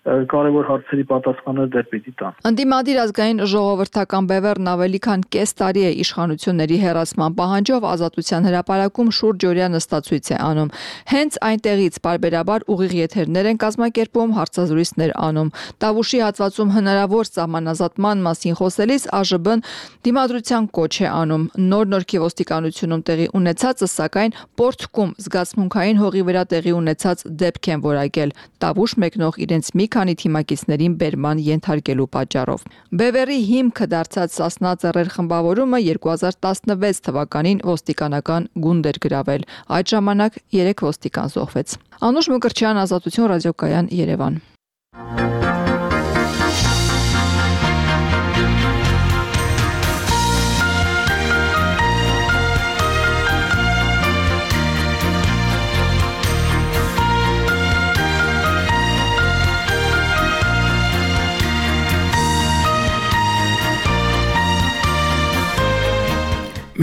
կարևոր հարցերի պատասխաններ դեռ պիտի տան։ Ընդդիմադիր ազգային ժողովրդական բևեռն ավելի քան կես տարի է իշխանությունների հեռացման պահանջով Ազատության հրապարակում շուրջօրյա նստածույց է անում։ Հենց այնտեղից պարբերաբար ուղիղ եթերներ են կազմակերպում, հարցազրույցներ անում։ Տավուշի հատվածում հնարավոր սահմանազատման մասին խոսելիս ԱԺԲ-ն դիմադրության կոչ է անում։ Նոր Նորքի ոստիկանությունում տեղի ունեցածը, սակայն Պորտկում զգացմունքային հողի վրա տեղի ունեցած դեպք են որակել։ Տավուշ մեկնող իրենց մի քանի թիմակիցներին բերման ենթարկելու պատճառով։ Բևեռի հիմքը դարձած Սասնա ծռեր խմբավորումը 2016 թվականին ոստիկանական գունդ էր գրավել։ Այդ ժամանակ 3 ոստիկան զոհվեց։ Անուշ Մկրտչյան, Ազատություն ռադիոկայան, Երևան։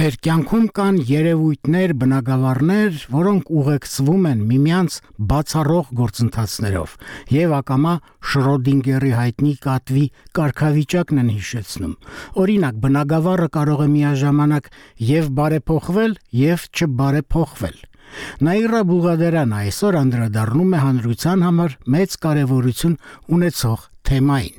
Մեր կյանքում կան երևույթներ, բնագավառներ, որոնք ուղեկցվում են միմյանց բացառող գործընթացներով եւ ակամա Շրոդինգերի հայտնի կատվի կարգավիճակն են հիշեցնում։ Օրինակ, բնագավառը կարող է միաժամանակ եւ բարեփոխվել, եւ չբարեփոխվել։ Նաիրա Բուղադերյանը այսօր անդրադառնում է հանրության համար մեծ կարևորություն ունեցող թեմային։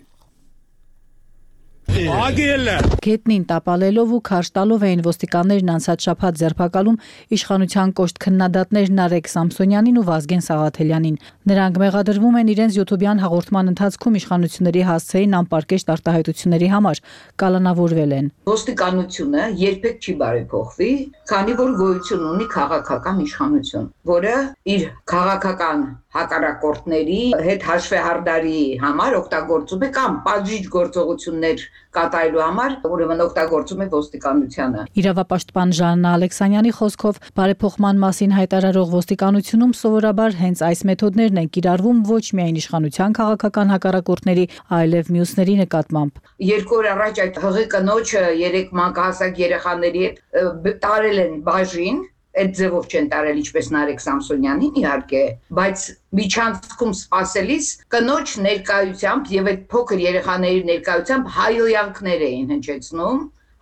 Գետնին տապալելով ու քարշ տալով էին ոստիկաններն անցած շաբաթ ձերբակալում իշխանության կոշտ քննադատներ Նարեկ Սամսոնյանին ու Վազգեն Սաղաթելյանին։ Նրանք մեղադրվում են իրենց յութուբյան հաղորդման ընթացքում իշխանությունների հասցեին անպարկեշտ արտահայտությունների համար, կալանավորվել են։ Ոստիկանությունը երբեք չի բարեփոխվի, քանի որ գոյություն ունի քաղաքական իշխանություն, որը իր քաղաքական հակառակորդների հետ հաշվեհարդարի համար օգտագործում է կամ պատժիչ գործողություններ կատարելու համար, ուրեմն օգտագործում է ոստիկանությանը։ Իրավապաշտպան Ժաննա Ալեքսանյանի խոսքով բարեփոխման մասին հայտարարող ոստիկանությունում սովորաբար հենց այս մեթոդներն են կիրառվում ոչ միայն իշխանության քաղաքական հակառակորդների, այլև մյուսների նկատմամբ։ 2 օր առաջ այդ հղի կնոջը 3 մանկահասակ երեխաների հետ տարել են բաժին, այդ ձևով չեն տարել ինչպես Նարեկ Սամսոնյանին իհարկե, բայց միջանցքում սпасելիս կնոջ ներկայությամբ եւ այդ փոքր երեխաների ներկայությամբ հայհոյանքներ էին հնչեցնում,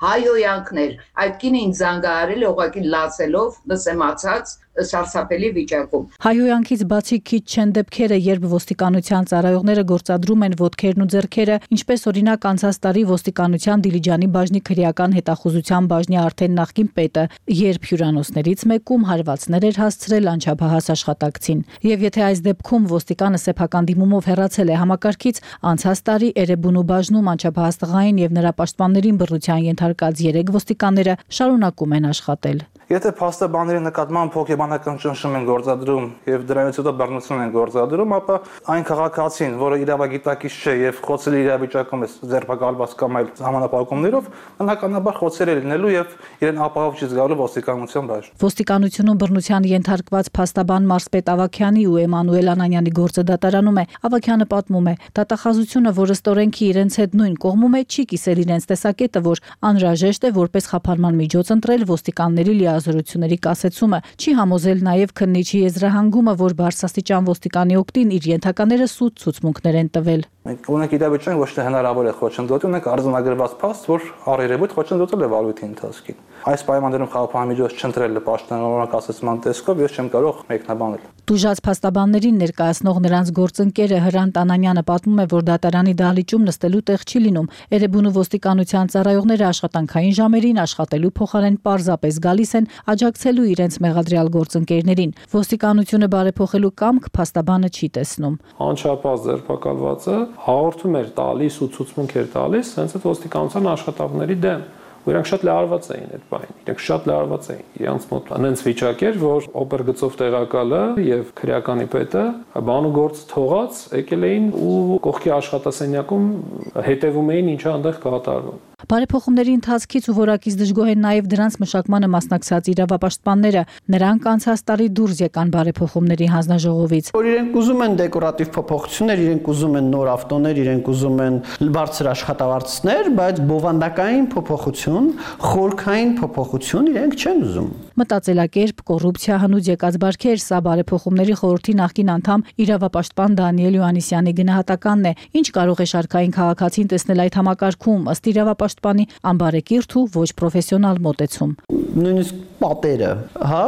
հայհոյանքներ։ Այդ կինը ինձ զանգահարել է ուղղակի լացելով, լսեմացած սարսափելի վիճակում։ Հայհոյանքից բացի քիչ չեն դեպքերը, երբ ոստիկանության ծառայողները գործադրում են ոտքերն ու ձեռքերը, ինչպես օրինակ անցած տարի ոստիկանության Դիլիջանի բաժնի քրեական հետախուզության բաժնի արդեն նախկին պետը, երբ հյուրանոցներից մեկում հարվածներ էր հասցրել անչափահաս աշխատակցին։ Եվ եթե այս դեպքում ոստիկանը սեփական դիմումով հեռացել է համակարգից, անցած տարի Էրեբունու բաժնում անչափահաս տղային եւ նրա պաշտպաններին բռնության ենթարկած 3 ոստիկանները շարունակում են աշխատել։ Եթե փաստաբանների նկատմամբ հոգեբանական ճնշում են գործադրում եւ դրանից հետո բռնություն են գործադրում, ապա այն քաղաքացին, որը իրավագիտակից չէ եւ խոցելի իրավիճակում է ձերբակալված կամ այլ համանապակումներով, բնականաբար խոցել է լինելու եւ իրեն ապահով չի զգալու ոստիկանության բաժնում։ Ոստիկանությունում բռնության ենթարկված փաստաբան Մարսպետ Ավագյանի ու Էմանուել Անանյանի գործը դատարանում է։ Ավագյանը պատմում է. դատախազությունը, որը ստորենքի իրենց հետ նույն կողմում է, չի կիսել իրենց տեսակետը, որ անհրաժեշտ է որպես խափանման միջոց ընտրել ոստիկանների զորությունների կասեցումը, չի համոզել նաև քննիչի եզրահանգումը, որ բարձրաստիճան ոստիկանի օգտին իր ենթակաները սուտ ցուցմունքներ են տվել։ Մենք ունենք իրավիճակ, ոչ թե հնարավոր է խոչընդոտի, ունենք արձանագրված փաստ, որ առերևույթ խոչընդոտել է վարույթի ընթացքին։ Այս պայմաններում խափանամիջոց չընտրելը պաշտոնանորակ ասացման տեսքով ես չեմ կարող մեկնաբանել։ Դուժած փաստաբաններին ներկայացնող նրանց գործընկերը Հրանտ Անանյանը պատմում է, որ դատարանի դահլիճում նստելու տեղ չի լինում։ Էրեբունու ոստիկանության ծառայողները աշխատանքային ժամերին աշխատելու փոխարեն պարզապես գալիս են աջակցելու իրենց մեղադրյալ գործընկերներին։ Ոստիկանությունը բարեփոխելու կամք փաստաբանը չի տեսնում։ Անչափահաս ձերբակալվածը հաղորդում էր տալիս ու ցուցմունք էր տալիս հենց այդ ոստիկանության աշխատողների դեմ։ Իրանք շատ լարված էին այդ բանին։ Իրանք շատ լարված էին։ Իրանց մոտ այնց վիճակ էր, որ օպերգծով տեղակալը եւ քրեականի պետը բանուգործ թողած եկել էին ու կողքի աշխատասենյակում հետևում էին ինչա այնտեղ կատարվում։ Բարեփոխումների ընթացքից ու որակից դժգոհ են նաև դրանց մշակմանը մասնակցած իրավապաշտպանները։ Նրանք անցած տարի դուրս եկան բարեփոխումների հանձնաժողովից։ Որ իրենք ուզում են դեկորատիվ փոփոխություններ, իրենք ուզում են նոր ավտոներ, իրենք ուզում են բարձր աշխատավարձներ, բայց բովանդակային փոփոխություն, խորքային փոփոխություն իրենք չեն ուզում։ Մտածելակերպ, կոռուպցիա, հնուց եկած բարքեր, սա բարեփոխումների խորհրդի նախկին անդամ իրավապաշտպան Դանիել Յոհաննիսյանի գնահատականն է։ Ինչ կարող է շարքային քաղաքացին տեսնել այդ համակարգում, ըստ իրավապաշտպանի անբարեկիրթ ու ոչ պրոֆեսիոնալ մոտեցում։ Նույնիսկ պատերը, հա,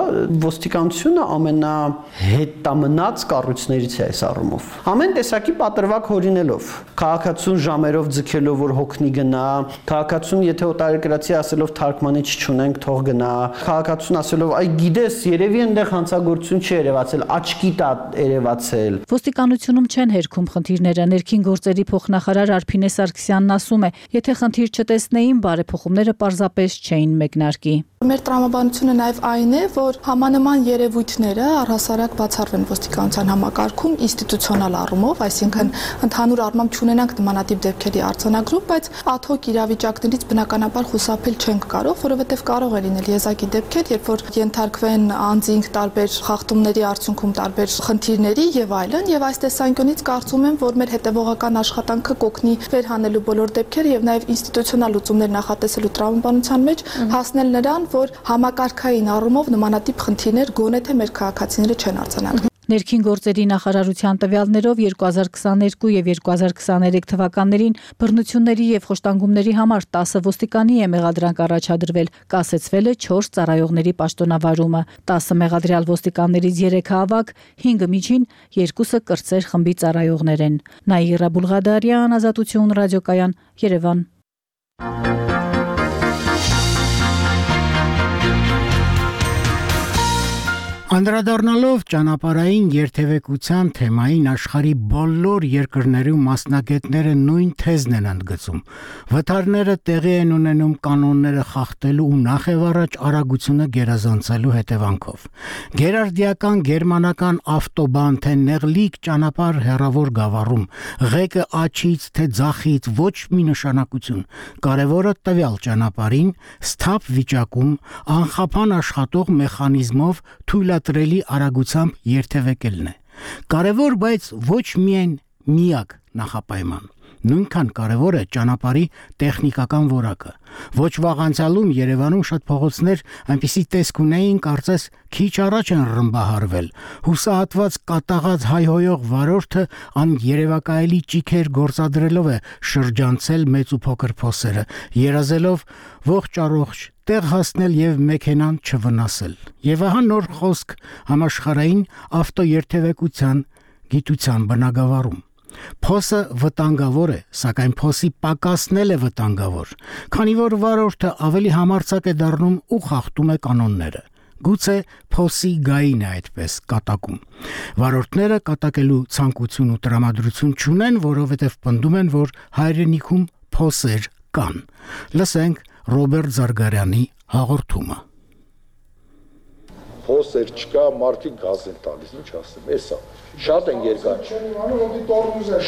ոստիկանությունը ամենահետամնաց կառույցներից է այս առումով։ Ամեն տեսակի պատրվակ հորինելով, քաղաքացուն ժամերով ձգելով, որ հոգնի գնա, քաղաքացուն եթե օտարերկրացի ասելով թարգմանիչ չունենք, թող գնա, քաղաքացուն ասելով, այ գիտես, երևի այնտեղ հանցագործություն չի երևացել, աչքի տա երևացել։ Ոստիկանությունում չեն հերքում խնդիրները։ Ներքին գործերի փոխնախարար Արփինե Սարգսյանն ասում է, եթե խնդիր չտեսնեին, բարեփոխումները պարզապես չէին մեկնարկի։ Մեր տրամաբանությունը նաև այն է, որ համանման երևույթները առհասարակ բացառվեն ոստիկանության համակարգում ինստիտուցիոնալ առումով, այսինքն ընդհանուր առմամբ չունենանք նմանատիպ դեպքերի արձանագրում, բայց ad hoc իրավիճակներից բնականաբար խուսափել չենք կարող, որովհետև կարող է լինել եզակի դեպքեր, երբ որ ենթարկվեն անձինք տարբեր խախտումների արդյունքում տարբեր խնդիրների եւ այլն, եւ այս տեսանկյունից կարծում եմ, որ մեր հետեւողական աշխատանքը կօգնի վերհանելու բոլոր դեպքերը եւ նաեւ ինստիտուցիոնալ լուծումներ նախատեսելու տրամաբանության մեջ հասնել նրան, որ համակարգային առումով նմանատիպ խնդիրներ գոնե թե մեր քաղաքացիները չեն արձանագրում։ Ներքին գործերի նախարարության տվյալներով 2022 եւ 2023 թվականներին բռնությունների եւ խոշտանգումների համար 10 ոստիկանի է մեղադրանք առաջադրվել, կասեցվել է 4 ծառայողների պաշտոնավարումը, 10 մեղադրյալ ոստիկաններից 3-ը ավագ, 5-ը միջին, 2-ը կրտսեր խմբի ծառայողներ են։ Նաիրա Բուլղադարյան, Ազատություն ռադիոկայան, Երևան։ Անդրադառնալով ճանապարհային երթևեկության թեմային աշխարհի բոլոր երկրներում մասնագետները նույն թեզն են ընդգծում։ Վթարները տեղի են ունենում կանոնները խախտելու ու նախևառաջ արագությունը գերազանցելու հետևանքով։ Գերարդիական գերմանական ավտոբան թե նեղլիկ ճանապարհ հեռավոր գավառում, ղեկը աջից թե ձախից ոչ մի նշանակություն։ Կարևորը տվյալ ճանապարհին սթափ վիճակում անխափան աշխատող մեխանիզմով թույլատրելի արագությամբ երթևեկելն է։ Կարևոր, բայց ոչ միայն միակ նախապայման։ Նույնքան կարևոր է ճանապարհի տեխնիկական որակը։ Ոչ վաղ անցյալում Երևանում շատ փողոցներ այնպիսի տեսք ունեին, կարծես քիչ առաջ են ռմբահարվել։ Հուսահատված կատաղած հայհոյող վարորդը աներևակայելի ճիգեր գործադրելով է շրջանցել մեծ ու փոքր փոսերը, երազելով ողջ առողջ տեղ հասնել եւ մեքենան չվնասել։ Եվ ահա նոր խոսք համաշխարհային ավտոերթևեկության գիտության բնագավառում։ Փոսը վտանգավոր է, սակայն փոսի պակասնել է վտանգավոր, քանի որ վարորդը ավելի համարձակ է դառնում ու խախտում է կանոնները։ Գուցե փոսի գային է այդպես կատակում։ Վարորդները կատակելու ցանկություն ու տրամադրություն չունեն, որովհետև պնդում են, որ հայրենիքում փոսեր կան։ Լսենք Ռոբերտ Զարգարյանի հաղորդումը։ Փոսեր չկա, մարդիկ գազ են տալիս, ինչ ասեմ, էսա։ Շատ են երկար։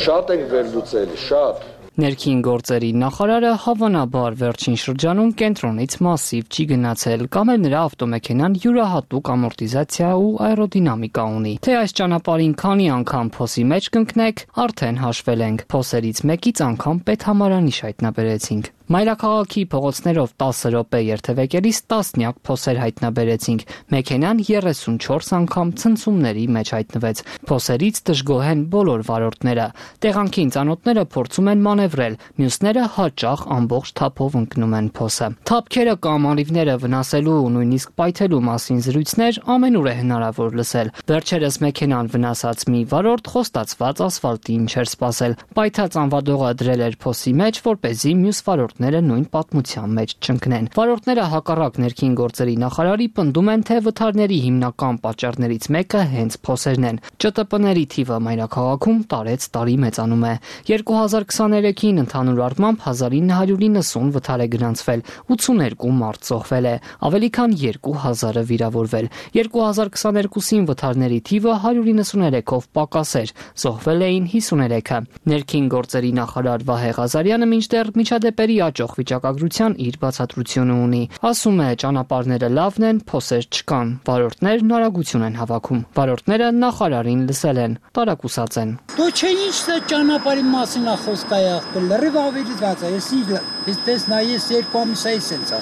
Շատ են վերլուծել, շատ։ Ներքին գործերի նախարարը հավանաբար վերջին շրջանում կենտրոնից մասիվ չի գնացել, կամ էլ նրա ավտոմեքենան յուրահատուկ ամորտիզացիա ու աերոդինամիկա ունի։ Թե այս ճանապարհին քանի անգամ փոսի մեջ կընկնեք, արդեն հաշվել ենք։ Փոսերից մեկից անգամ պետհամարանիշ հայտնաբերեցինք։ Մայրաքաղաքի փողոցներով 10 րոպե երթևեկելիս տասնյակ փոսեր հայտնաբերեցինք։ Մեքենան 34 անգամ ցնցումների մեջ հայտնվեց։ Փոսերից դժգոհ են բոլոր վարորդները։ Տեղանքին ծանոթները փորձում են մանևրել, մյուսները հաճախ ամբողջ թափով ընկնում են փոսը։ Թափքերը կամ անիվները վնասելու ու նույնիսկ պայթելու մասին զրույցներ ամենուր է հնարավոր լսել։ Վերջերս մեքենան վնասած մի վարորդ խոստացված ասֆալտին չէր սպասել։ Պայթած անվադողը դրել էր փոսի մեջ, որպեսզի մյուս վարորդները նույն պատմության մեջ չընկնեն։ Վարորդները հակառակ ներքին գործերի նախարարի պնդում են, թե վթարների հիմնական պատճառներից մեկը հենց փոսերն են։ ՃՏՊ-ների թիվը մայրաքաղաքում տարեց-տարի մեծանում է։ 2023-ին ընդհանուր առմամբ 1990 վթար է գրանցվել, 82 մարդ զոհվել է, ավելի քան 2000-ը վիրավորվել։ 2022-ին վթարների թիվը 193-ով պակաս էր, զոհվել էին 53-ը։ Ներքին գործերի նախարար Վահե Ղազարյանը մինչդեռ միջադեպերի աճող վիճակագրության իր բացատրությունը ունի։ Ասում է, ճանապարհները լավն են, փոսեր չկան, վարորդներն արագություն են հավաքում։ Վարորդները նախարարին լսել են, տարակուսած են։ Դու չէ ինչ է ճանապարհի մասին է խոսք այախտել, լրիվ ավելի վատ է, ես դες նայես 2 ամիս է սենց է։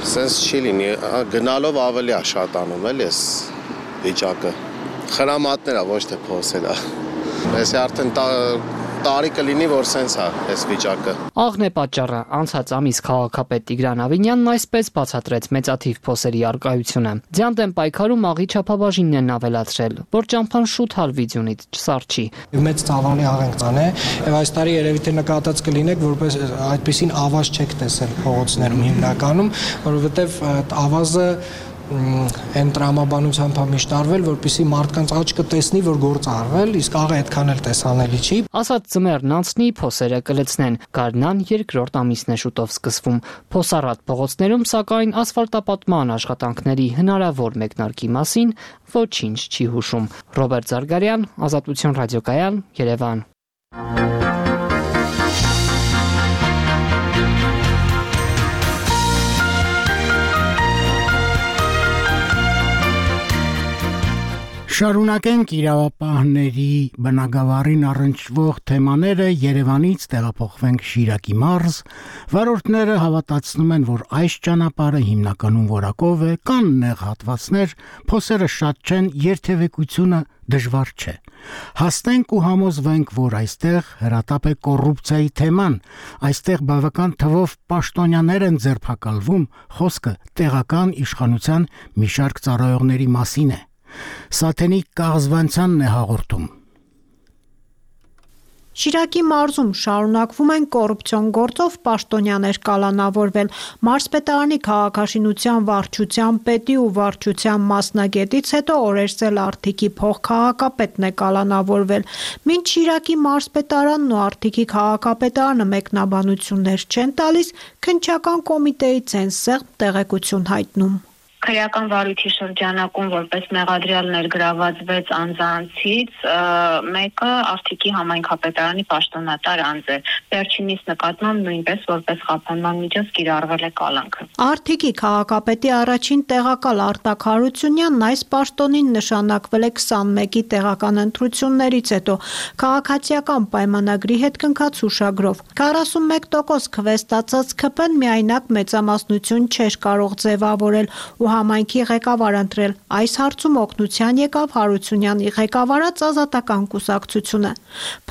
Սենց չի լինի, գնալով ավելի է շատանում էլ էս վիճակը։ Խրամատներ է, ոչ թե փոսեր է։ Ես արդեն տարի կլինի, որ սենց է այս վիճակը։ Աղն է պատճառը, անցած ամիս քաղաքապետ Տիգրան Ավինյանն այսպես բացատրեց մեծաթիվ փոսերի առկայությունը։ Ձյանդ են պայքարում աղի չափաբաժինն են ավելացրել, որ ճամփան շուտ հալվի ձյունից չսարչի։ Մեծ ծավալի աղենքան է, եւ այս տարի երևի թե նկատած կլինեք, որպես այդպեսին ավազ չեք տեսել փողոցներում հիմնականում, որովհետեւ ավազը այն տրամաբանությամբ է միշտ արվել, որպեսզի մարդկանց աչքը տեսնի, որ գործ արվել, իսկ աղը այդքան էլ տեսանելի չի։ Ասած ձմեռն անցնի, փոսերը կլցնեն։ Գարնան երկրորդ ամիսն է շուտով սկսվում։ Փոսառատ փողոցներում, սակայն ասֆալտապատման աշխատանքների հնարավոր մեկնարկի մասին ոչինչ չի հուշում։ Ռոբերտ Զարգարյան, Ազատություն ռադիոկայան, Երևան։ Կշարունակենք իրավապահների բնագավառին առնչվող թեմաները, Երևանից տեղափոխվենք Շիրակի մարզ, վարորդները հավատացնում են, որ այս ճանապարհը հիմնականում որակով է, կան նեղ հատվածներ, փոսերը շատ չեն, երթևեկությունը դժվար չէ։ Հասնենք ու համոզվենք, որ այստեղ հրատապ է կոռուպցիայի թեման, այստեղ բավական թվով պաշտոնյաներ են ձերբակալվում, խոսքը տեղական իշխանության մի շարք ծառայողների մասին է։ Սաթենիկ Կաղզվանցյանն է հաղորդում։ Շիրակի մարզում շարունակվում են կոռուպցիոն գործով պաշտոնյաներ կալանավորվել։ Մարզպետարանի քաղաքաշինության վարչության պետի ու վարչության մասնագետից հետո օրերսել Արթիկի փոխքաղաքապետն է կալանավորվել։ Մինչ Շիրակի մարզպետարանն ու Արթիկի քաղաքապետարանը մեկնաբանություններ չեն տալիս, քննչական կոմիտեից են սեղմ տեղեկություն հայտնում։ Քրեական վարույթի շրջանակում որպես մեղադրյալ ներգրաված 6 անձանցից մեկը Արթիկի համայնքապետարանի պաշտոնատար անձ է։ Վերջինիս նկատմամբ նույնպես որպես խափանման միջոց կիրառվել է կալանքը։ Արթիկի քաղաքապետի առաջին տեղակալ Արտակ Հարությունյանն այս պաշտոնին նշանակվել է 21-ի տեղական ընտրություններից հետո քաղաքացիական պայմանագրի հետ կնքած հուշագրով։ 41% քվեստացած ՔՊ-ն միայնակ մեծամասնություն չէր կարող ձևավորել ու համայնքի ղեկավար ընտրել։ Այս հարցում օգնության եկավ Հարությունյանի ղեկավարած ազատական կուսակցությունը։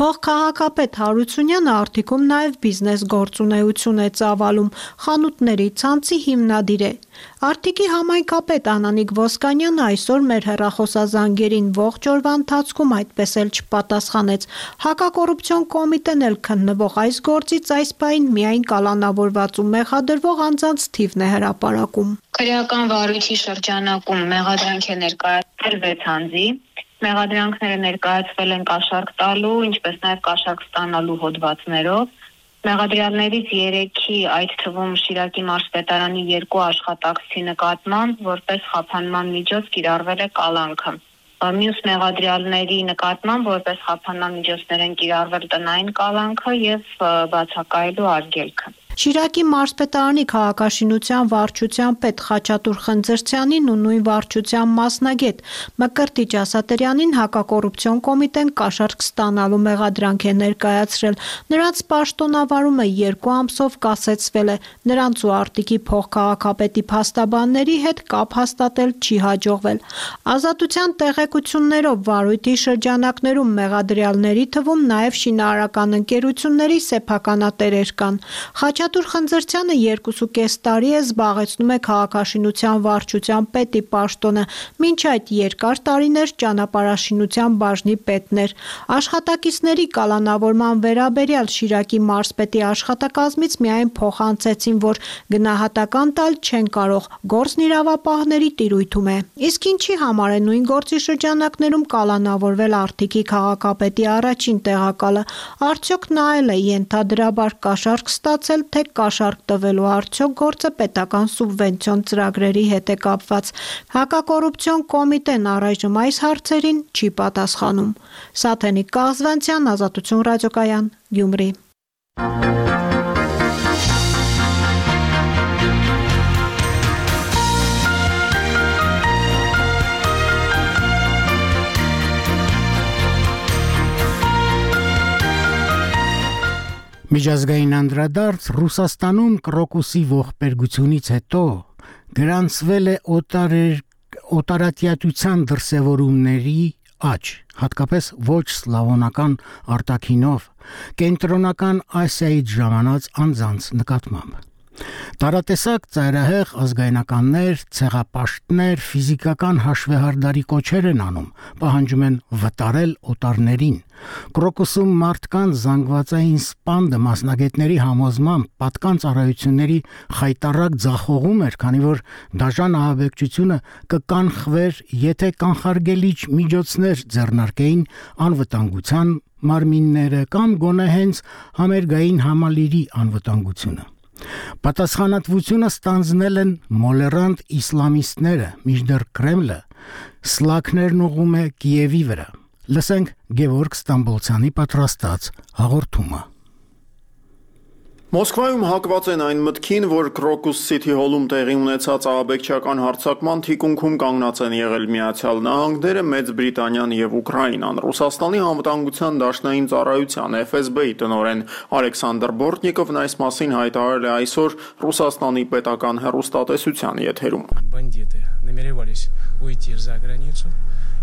Փոխքաղաքապետ Հարությունյանը Արթիկում նաև բիզնես գործունեություն է ծավալում, խանութների ցանցի հիմնադիր է։ Արթիկի համայնքապետ Անանիկ Ոսկանյանը այսօր մեր հեռախոսազանգերին ողջ օրվա ընթացքում այդպես էլ չպատասխանեց։ Հակակոռուպցիոն կոմիտեն էլ քննվող այս գործից այս պահին միայն կալանավորված ու մեղադրվող անձանց թիվն է հրապարակում։ Քրեական վարույթի շրջանակում մեղադրանք է ներկայացվել 6 անձի։ Մեղադրանքները ներկայացվել են կաշառք տալու, ինչպես նաև կաշառք ստանալու հոդվածներով։ Մեղադրյալներից 3-ի, այդ թվում Շիրակի մարզպետարանի 2 աշխատակցի նկատմամբ որպես խափանման միջոց կիրառվել է կալանքը։ Մյուս մեղադրյալների նկատմամբ որպես խափանման միջոցներ են կիրառվել տնային կալանքը եւ բացակայելու արգելքը։ Շիրակի մարզպետարանի քաղաքաշինության վարչության պետ Խաչատուր Խնձրցյանին ու նույն վարչության մասնագետ Մկրտիչ Ասատրյանին հակակոռուպցիոն կոմիտեն կաշառք ստանալու մեղադրանք է ներկայացրել։ Նրանց պաշտոնավարումը 2 ամսով կասեցվել է։ Նրանց ու Արթիկի փոխքաղաքապետի փաստաբանների հետ կապ հաստատել չի հաջողվել։ Ազատության տեղեկություններով վարույթի շրջանակներում մեղադրյալների թվում նաև շինարարական ընկերությունների սեփականատերեր կան։ Խաչատուր Խնձրցյանը 2.5 տարի է զբաղեցնում է քաղաքաշինության վարչության պետի պաշտոնը, մինչ այդ երկար տարիներ ճանապարհաշինության բաժնի պետն էր։ Աշխատակիցների կալանավորման վերաբերյալ Շիրակի մարզպետի աշխատակազմից միայն փոխանցեցին, որ գնահատական տալ չեն կարող, գործն իրավապահների տիրույթում է։ Իսկ ինչի համար է նույն գործի շրջանակներում կալանավորվել Արթիկի քաղաքապետի առաջին տեղակալը, արդյոք նա էլ է ենթադրաբար կաշառք ստացել, թե կաշառք տվելու արդյոք գործը պետական սուբվենցիոն ծրագրերի հետ է կապված։ Հակակոռուպցիոն կոմիտեն առայժմ այս հարցերին չի պատասխանում։ Սաթենիկ Կաղզվանցյան, Ազատություն ռադիոկայան, Գյումրի։ Միջազգային անդրադարձ Ռուսաստանում կրոկուսի ողբերգությունից հետո գրանցվել է օտարատյատության դրսևորումների աճ, հատկապես ոչ սլավոնական արտաքինով, կենտրոնական Ասիայից ժամանած անձանց նկատմամբ։ Տարատեսակ ծայրահեղ ազգայնականներ, ցեղապաշտներ, ֆիզիկական հաշվեհարդարի կոչեր են անում, պահանջում են վտարել օտարներին։ Կրոկուսում մարդկանց զանգվածային սպանդը մասնագետների համոզմամբ պատկան ծառայությունների խայտառակ ձախողում էր, քանի որ դաժան ահաբեկչությունը կկանխվեր, եթե կանխարգելիչ միջոցներ ձեռնարկեին անվտանգության մարմինները կամ գոնե հենց համերգային համալիրի անվտանգությունը։ Պատասխանատվությունը ստանձնել են մոլերանտ իսլամիստները, մինչդեռ Կրեմլը սլաքներն ուղղում է Կիևի վրա։ Լսենք Գևորգ Ստամբոլցյանի պատրաստած հաղորդումը։ Մոսկվայում հակված են այն մտքին, որ Crocus City Hall-ում տեղի ունեցած ահաբեկչական հարձակման թիկունքում կանգնած են եղել Միացյալ Նահանգները, Մեծ Բրիտանիան եւ Ուկրաինան։ Ռուսաստանի անվտանգության դաշնային ծառայության FSB-ի տնօրեն Ալեքսանդր Բորտնիկովն այս մասին հայտարարել է այսօր Ռուսաստանի պետական հեռուստատեսության եթերում։ Бандиты намеревались уйти за границу.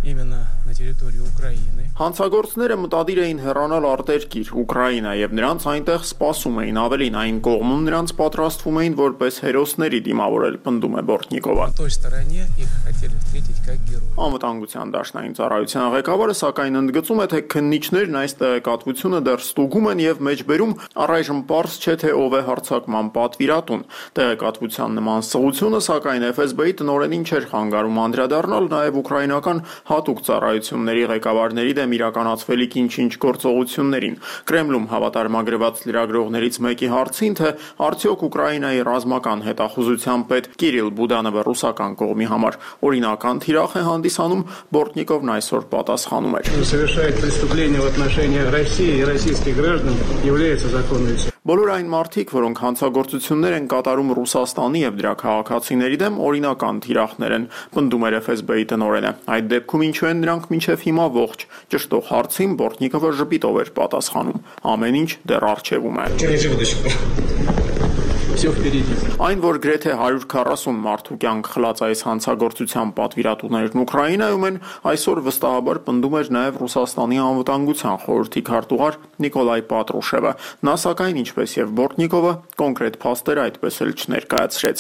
Именно на территории Украины. Հանցագործները մտադիր էին հեռանալ արտերկիր Ուկրաինա եւ նրանց այնտեղ սպասում էին, ավելին այն կողմում նրանց պատրաստվում էին որպես հերոսների դիմավորել, պնդում է Բորտնիկովը։ Той стороне их хотели встретить как героев. Անվտանգության դաշնային ծառայության ղեկավարը սակայն ընդգծում է, թե քննիչներն այս տեղեկատվությունը դեռ ստուգում են եւ մեջբերում առայժմ պարզ չէ թե ով է հարձակման պատվիրատուն։ Տեղեկատվության նման սղությունը սակայն FSB-ի տնօրենին չէր խանգարում անդրադառնալ նաեւ ուկրաինական հատուկ ծառայությունների ղեկավարների դեմ իրականացվելիք ինչ-ինչ գործողություններին։ Կրեմլում հավատարմագրված լրագրողներից մեկի հարցին, թե արդյոք Ուկրաինայի ռազմական հետախուզության պետ Կիրիլ Բուդանովը ռուսական կողմի համար օրինական թիրախ է հանդիսանում, Բորտնիկովն այսօր պատասխանում էր. Совершает преступление в отношении России и российских граждан является законной. Բոլոր այն մարդիկ, որոնք հանցագործություններ են կատարում Ռուսաստանի եւ դրա քաղաքացիների դեմ, օրինական թիրախներ են, պնդում էր FSB-ի տնօրենը։ Այդ դեպքում ինչու են նրանք մինչև հիմա ողջ։ Ճշտող հարցին Բորտնիկովը ժպիտով էր պատասխանում. ամեն ինչ դեռ առջևում է։ Այն, որ գրեթե 140 մարդու կյանք խլած այս հանցագործության պատվիրատուներն Ուկրաինայում են, այսօր վստահաբար պնդում էր նաև Ռուսաստանի անվտանգության խորհրդի քարտուղար Նիկոլայ Պատրուշևը։ Նա սակայն, ինչպես եւ Բորտնիկովը, կոնկրետ փաստեր այդպես էլ չներկայացրեց։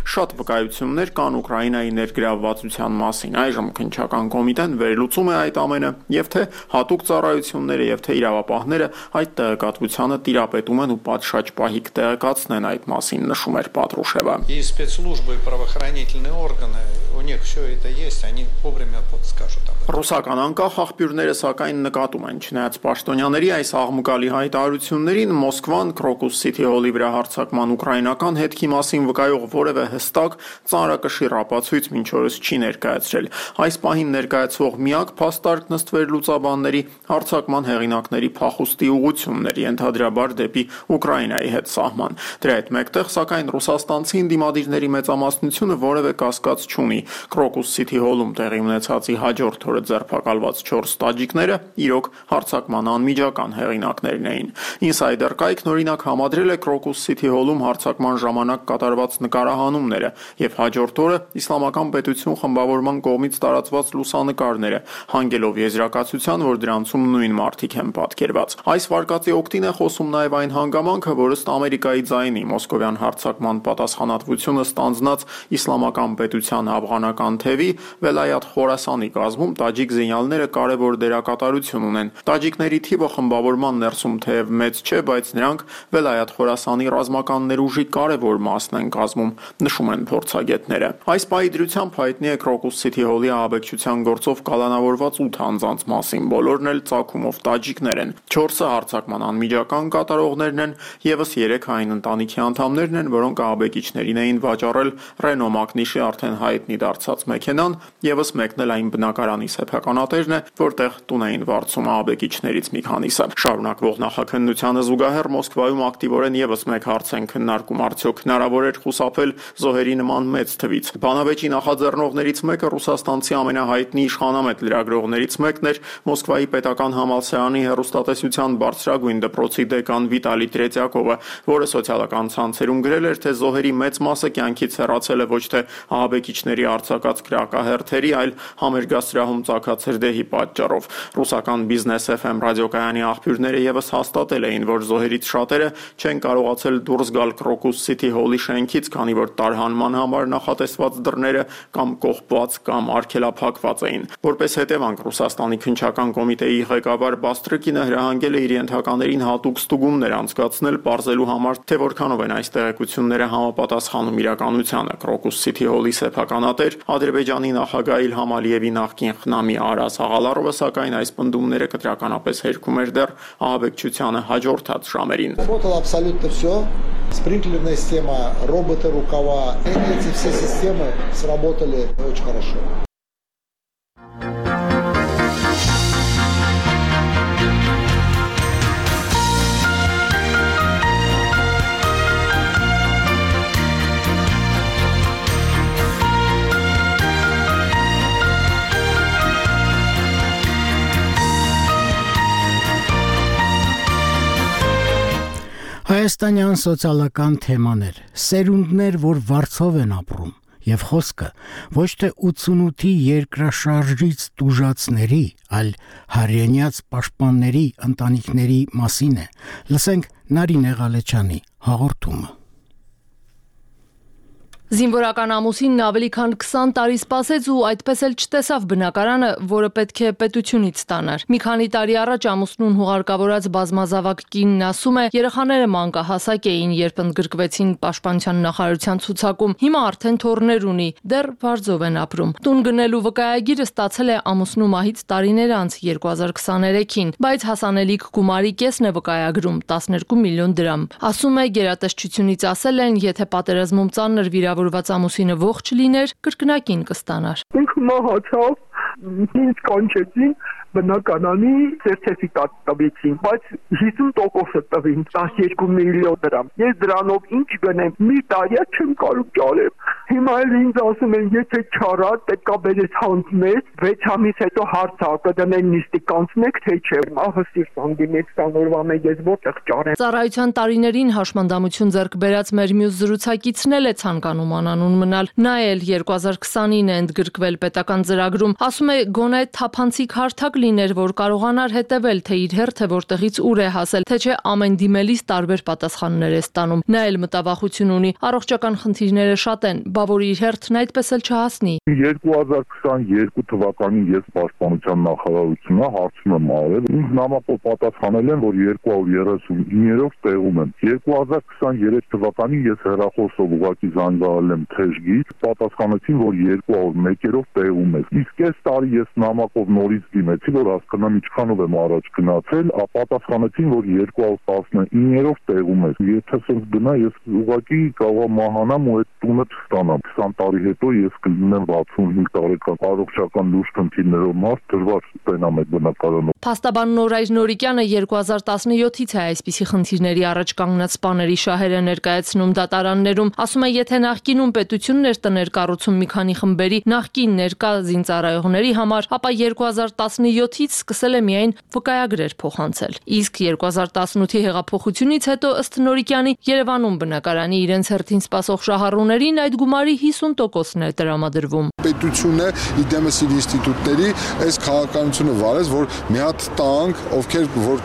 Շատ վկայություններ կան Ուկրաինայի ներգրավվածության մասին։ Այժմ քննչական կոմիտեն վերլուծում է այդ ամենը, եւ թե հատուկ ծառայությունները եւ թե իրավապահները այդ տեղեկատվությանը տիրապետում են ու պատշաճ պահի կտեղեկացնեն այդ մասին, նշում էր Պատրուշևը։ И спецслужбы, и правоохранительные органы, у них все это есть, они вовремя скажут об этом. Ռուսական անկախ աղբյուրները սակայն նկատում են, չնայած պաշտոնյաների այս աղմուկալի հայտարարություններին, Մոսկվան Crocus City Hall-ի վրա հարձակման ուկրաինական հետքի մասին վկայող որևէ հստակ ծանրակշիռ ապացույց մինչ օրս չի ներկայացրել։ Այս պահին ներկայացվող միակ փաստարկ նստվեր լուծաբանների հարձակման հեղինակների փախուստի ուղղություններ, ենթադրաբար դեպի Ուկրաինայի հետ սահման։ Դրա հետ մեկտեղ, սակայն ռուսաստանցի ընդդիմադիրների մեծամասնությունը որևէ կասկած չունի։ Crocus City Hall-ում տեղի ունեցածի հաջորդ օրը ձերբակալված 4 տաջիկները իրոք հարձակման անմիջական հեղինակներն էին։ Insider կայքն օրինակ համադրել է Crocus City Hall-ում հարձակման ժամանակ կատարված նկարահանումները եւ հաջորդ օրը Իսլամական պետություն խմբավորման կողմից տարածված լուսանկարները, հանգելով եզրակացության, որ դրանցում նույն մարդիկ են պատկերված։ Այս վարկածի օգտին է խոսում նաեւ այն հանգամանքը, որ ըստ Ամերիկայի ձայնի մոսկովյան հարձակման պատասխանատվությունը ստանձնած Իսլամական պետության աֆղանական թևի Վելայաթ Խորասանի կազմում տաջիկ զինյալները կարևոր դերակատարություն ունեն։ Տաջիկների թիվը խմբավորման ներսում թեև մեծ չէ, բայց նրանք Վելայաթ Խորասանի ռազմական ներուժի կարևոր մասն են կազմում, նշում են փորձագետները։ Այս պահի դրությամբ հայտնի է Crocus City Hall-ի ահաբեկչության գործով կալանավորված 8 անձանց մասին, բոլորն էլ ծագումով տաջիկներ են։ 4-ը հարձակման անմիջական կատարողներն են, եւս 3 այն ընտանիքի անդամներն են, որոնք ահաբեկիչներին էին վաճառել Renault Magnish-ի արդեն հայտնի դարձած մեքենան, եւս մեկն էլ այն բնակարանի սեփականատերն է, որտեղ տուն էին վարձում ահաբեկիչներից մի քանիսը։ Շարունակվող նախաքննությանը զուգահեռ Մոսկվայում ակտիվորեն եւս մեկ հարց են քննարկում, արդյոք հնարավոր էր խուսափել զոհերի նման մեծ թվից։ Բանավեճի նախաձեռնողներից մեկը ռուսաստանցի ամենահայտնի իշխանամետ լրագրողներից մեկն էր, Մոսկվայի պետական համալսարանի հեռուստատեսության բարձրագույն դպրոցի դեկան Վիտալի Տրետյակովը, որը սոցիալական ցանցերում գրել էր, թե զոհերի մեծ մասը կյանքից հեռացել է ոչ թե ահաբեկիչների արձակած կրակահերթերի, այլ համերգասրահում ծագած հրդեհի պատճառով։ Ռուսական Business FM ռադիոկայանի աղբյուրները եւս հաստատել էին, որ զոհերից շատերը չեն կարողացել դուրս գալ Crocus City Hall-ի շենքից, քանի որ տարհանման համար նախատեսված դռները կամ կողպված կամ արգելափակված էին։ Որպես հետևանք Ռուսաստանի քննչական կոմիտեի ղեկավար Բաստրիկինը հրահանգել է իր ենթականերին հատուկ ստուգումներ անցկացնել, պարզելու համար, թե որքանով են այս տեղեկությունները համապատասխանում իրականությանը։ Crocus City Hall-ի սեփականատեր Ադրբեջանի նախագահ Իլհամ Ալիևի նախկին խնամի Արաս Աղալարովը սակայն այս պնդումները կտրականապես հերքում էր դեռ ահաբեկչությանը հաջորդած ժամերին։ Работало абсолютно все. Спринклерная система, роботы, рукава. Эти все системы сработали очень хорошо. Հայաստանյան սոցիալական թեմաներ, սերունդներ, որ վարձով են ապրում, եւ խոսքը ոչ թե 88-ի երկրաշարժից տուժածների, այլ հայրենիաց պաշտպանների ընտանիքների մասին է։ Լսենք Նարինե Ղալեչյանի հաղորդումը։ Զինվորական ամուսինն ավելի քան 20 տարի սպասեց ու այդպես էլ չտեսավ բնակարանը, որը պետք է պետությունից ստանար։ Մի քանի տարի առաջ ամուսնուն հուղարկավորած բազմազավակ կինն ասում է, երեխաները մանկահասակ էին, երբ ընդգրկվեցին Պաշտպանության նախարարության ցուցակում։ Հիմա արդեն թոռներ ունի, դեռ վարձով են ապրում։ Տուն գնելու վկայագիրը ստացել է ամուսնու մահից տարիներ անց 2023-ին, բայց հասանելիք գումարի կեսն է վկայագրում 12 միլիոն դրամ։ Ասում է, գերատեսչությունից ասել են, եթե պատերազմում ծանր վիրավորված ամուսինը ողջ լիներ, կրկնակին կստանար։ Ինքը մահացավ, ինձ կանչեցին բնակարանի սերտիֆիկատ տվեցին, բայց 50% տվին 12 միլիոն դրամ։ Ես դրանով ինչ գնեմ, մի տարի չեմ կարող ճարեմ։ Հիմա էլ ինձ ասում են, եթե չարա, պետքա բերես հանձնես, 6 ամիս հետո հարցա կդնեն նիստի կանցնեք, թե չէ։ Ահա սիրտ անգիմեց 20 օրվա մեջ ես որտեղ ճարեմ։ Ծառայության տարիներին հաշմանդամություն ձեռք բերած մեր մյուս զրուցակիցն էլ է ցանկանում անանուն մնալ։ Նա էլ 2020-ին է ընդգրկվել պետական ծրագրում։ Ասում է, գոնե թափանցիկ հարթակ լիներ, որ կարողանար հետևել, թե իր հերթը որտեղից ուր է հասել, թե չէ ամեն դիմելիս տարբեր պատասխաններ է ստանում։ Նա էլ մտավախություն ունի, առողջական խնդիրները շատ են, բա որ իր հերթն այդպես էլ չհասնի։ 2022 թվականին ես Պաշտպանության նախարարությունն հարցում եմ արել, ինձ նամակով պատասխանել են, որ 239-ով տեղում եմ։ 2023 թվականին ես հեռախոսով ուղղակի զանգահարել եմ թեժգիր, պատասխանեցին, որ 201-ով տեղում եմ։ Իսկ այս տարի ես նամակով նորից դիմեցի, որ հասկանամ ինչքանով եմ առաջ գնացել, պատասխանեցին, որ 219-ով տեղում եմ։ Եթե սենց գնա, ես ուղղակի կարող մահանամ ու այդ տունը չստանամ։ 20 տարի հետո ես կլինեմ 65 տարեկան, առողջական լուրջ խնդիրներով մարդ, դժվար ստենամ այդ բնակարանով։ Փաստաբան Նորայր Նորիկյանը 2017-ից է այսպիսի խնդիրների առաջ կանգնած սպաների շահերը ներկայացնում դատարաններում։ Ասում է, եթե նախկինում պետությունն էր տներ կառուցում մի քանի խմբերի նախկին ներկա զինծառայողների համար, ապա 2017-ից սկսել է միայն վկայագրեր փոխանցել։ Իսկ 2018-ի հեղափոխությունից հետո ըստ Նորիկյանի Երևանում բնակարանի իրենց հերթին սպասող շահառուներին այդ գումարի 50%-ն է տրամադրվում։ Պետությունը իդեմս իր ինստիտուտների այս քաղաքականությունը վարեց, որ մի հատ տանք, ովքեր որ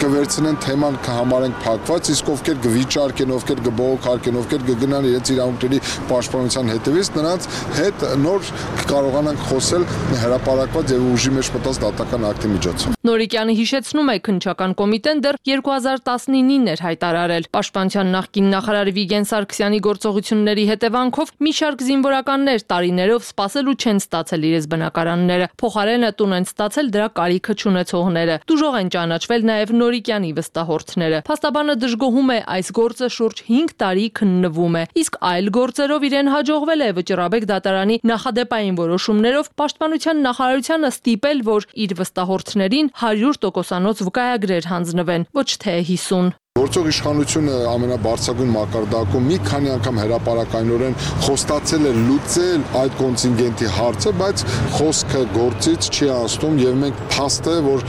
կվերցնեն թեման կհամարենք փակված, իսկ ովքեր կվիճարկեն, ովքեր կբողոքարկեն, ովքեր կգնան իրենց իրավունքների պաշտպանության հետևից, նրանց հետ նոր կարողանանք խոսել հրապարակված եւ ուժի մեջ մտած դատական ակտի միջոցով։ Նորիկյանը հիշեցնում է, քննչական կոմիտեն դեռ 2019-ին էր հայտարարել Պաշտպանության նախկին նախարար Վիգեն Սարգսյանի գործողությունների հետևանքով մի շարք զինվորականներ տարիներով սպասել ու չեն ստացել իրենց բնակարանները։ Փոխարենը տուն են ստացել դրա կարիքը չունեցողները։ Դժոխ են ճանաչվել նաև Նորիկյանի վստահորդները։ Փաստաբանը դժգոհում է, այս գործը շուրջ 5 տարի քննվում է, իսկ այլ գործերով իրեն հաջողվել է Վճռաբեկ դատարանի նախադեպային որոշումներով Պաշտպանության նախարարությանը ստիպել, որ իր վստահորդներին 100%-անոց վկայագրեր հանձնվեն, ոչ թե 50։ Գործող իշխանությունը ամենաբարձրագույն մակարդակում մի քանի անգամ հրապարակայնորեն խոստացել է լուծել այդ կոնտինգենտի հարցը, բայց խոսքը գործից չի անցնում եւ մենք փաստ է, որ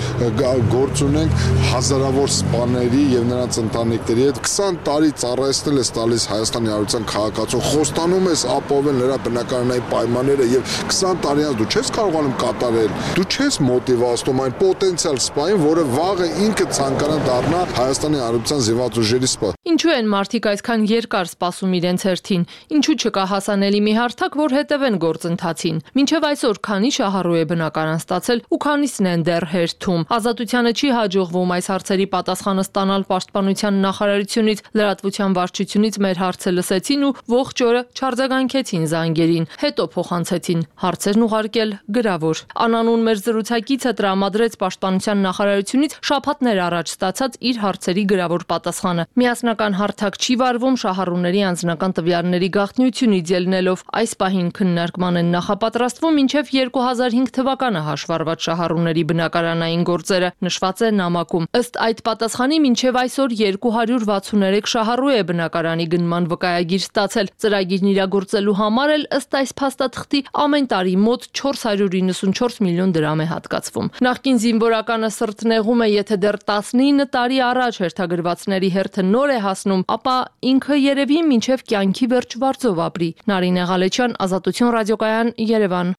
գործ ունենք հազարավոր սպաների եւ նրանց ընտանիքների հետ 20 տարի ծառայեցնել ես տալիս Հայաստանի Հանրության քաղաքացուն, խոստանում ես ապահովել նրա բնակարանային պայմանները եւ 20 տարի անց դու չես կարողանում կատարել, դու չես մոտիվացնում այն պոտենցիալ սպային, որը վաղը ինքը ցանկանա դառնա Հայաստանի Հանրության զինված ուժերի սպա։ Ինչու են մարդիկ այսքան երկար սպասում իրենց հերթին։ Ինչու չկա հասանելի մի հարթակ, որ հետևեն գործընթացին։ Մինչև այսօր քանի շահառու է բնակարան ստացել ու քանիսն են դեռ հերթում։ Ազատությանը չի հաջողվում այս հարցերի պատասխանը ստանալ Պաշտպանության նախարարությունից, լրատվության վարչությունից մեր հարցը լսեցին ու ողջ օրը չարձագանքեցին զանգերին, հետո փոխանցեցին հարցերն ուղարկել գրավոր։ Անանուն մեր զրուցակիցը տրամադրեց Պաշտպանության նախարարությունից շաբաթներ առաջ ստացած իր հարցերի գրավոր պատասխանը։ Միասնական հարթակ չի վարվում շահառուների անձնական տվյալների գաղտնիությունից ելնելով։ Այս պահին քննարկման են նախապատրաստվում մինչև 2005 թվականը հաշվառված շահառուների բնակարանային գործերը, նշված է նամակում։ Ըստ այդ պատասխանի մինչև այսօր 263 շահառու է բնակարանի գնման վկայագիր ստացել։ Ծրագիրն իրագործելու համար էլ ըստ այս փաստաթղթի ամեն տարի մոտ 494 միլիոն դրամ է հատկացվում։ Նախկին զինվորականը սրտնեղում է, եթե դեռ 19 տարի առաջ հերթագրված զոհվածների հերթը նոր է հասնում, ապա ինքը երևի մինչև կյանքի վերջ վարձով ապրի։ Նարինե Ղալեչյան, Ազատություն ռադիոկայան, Երևան։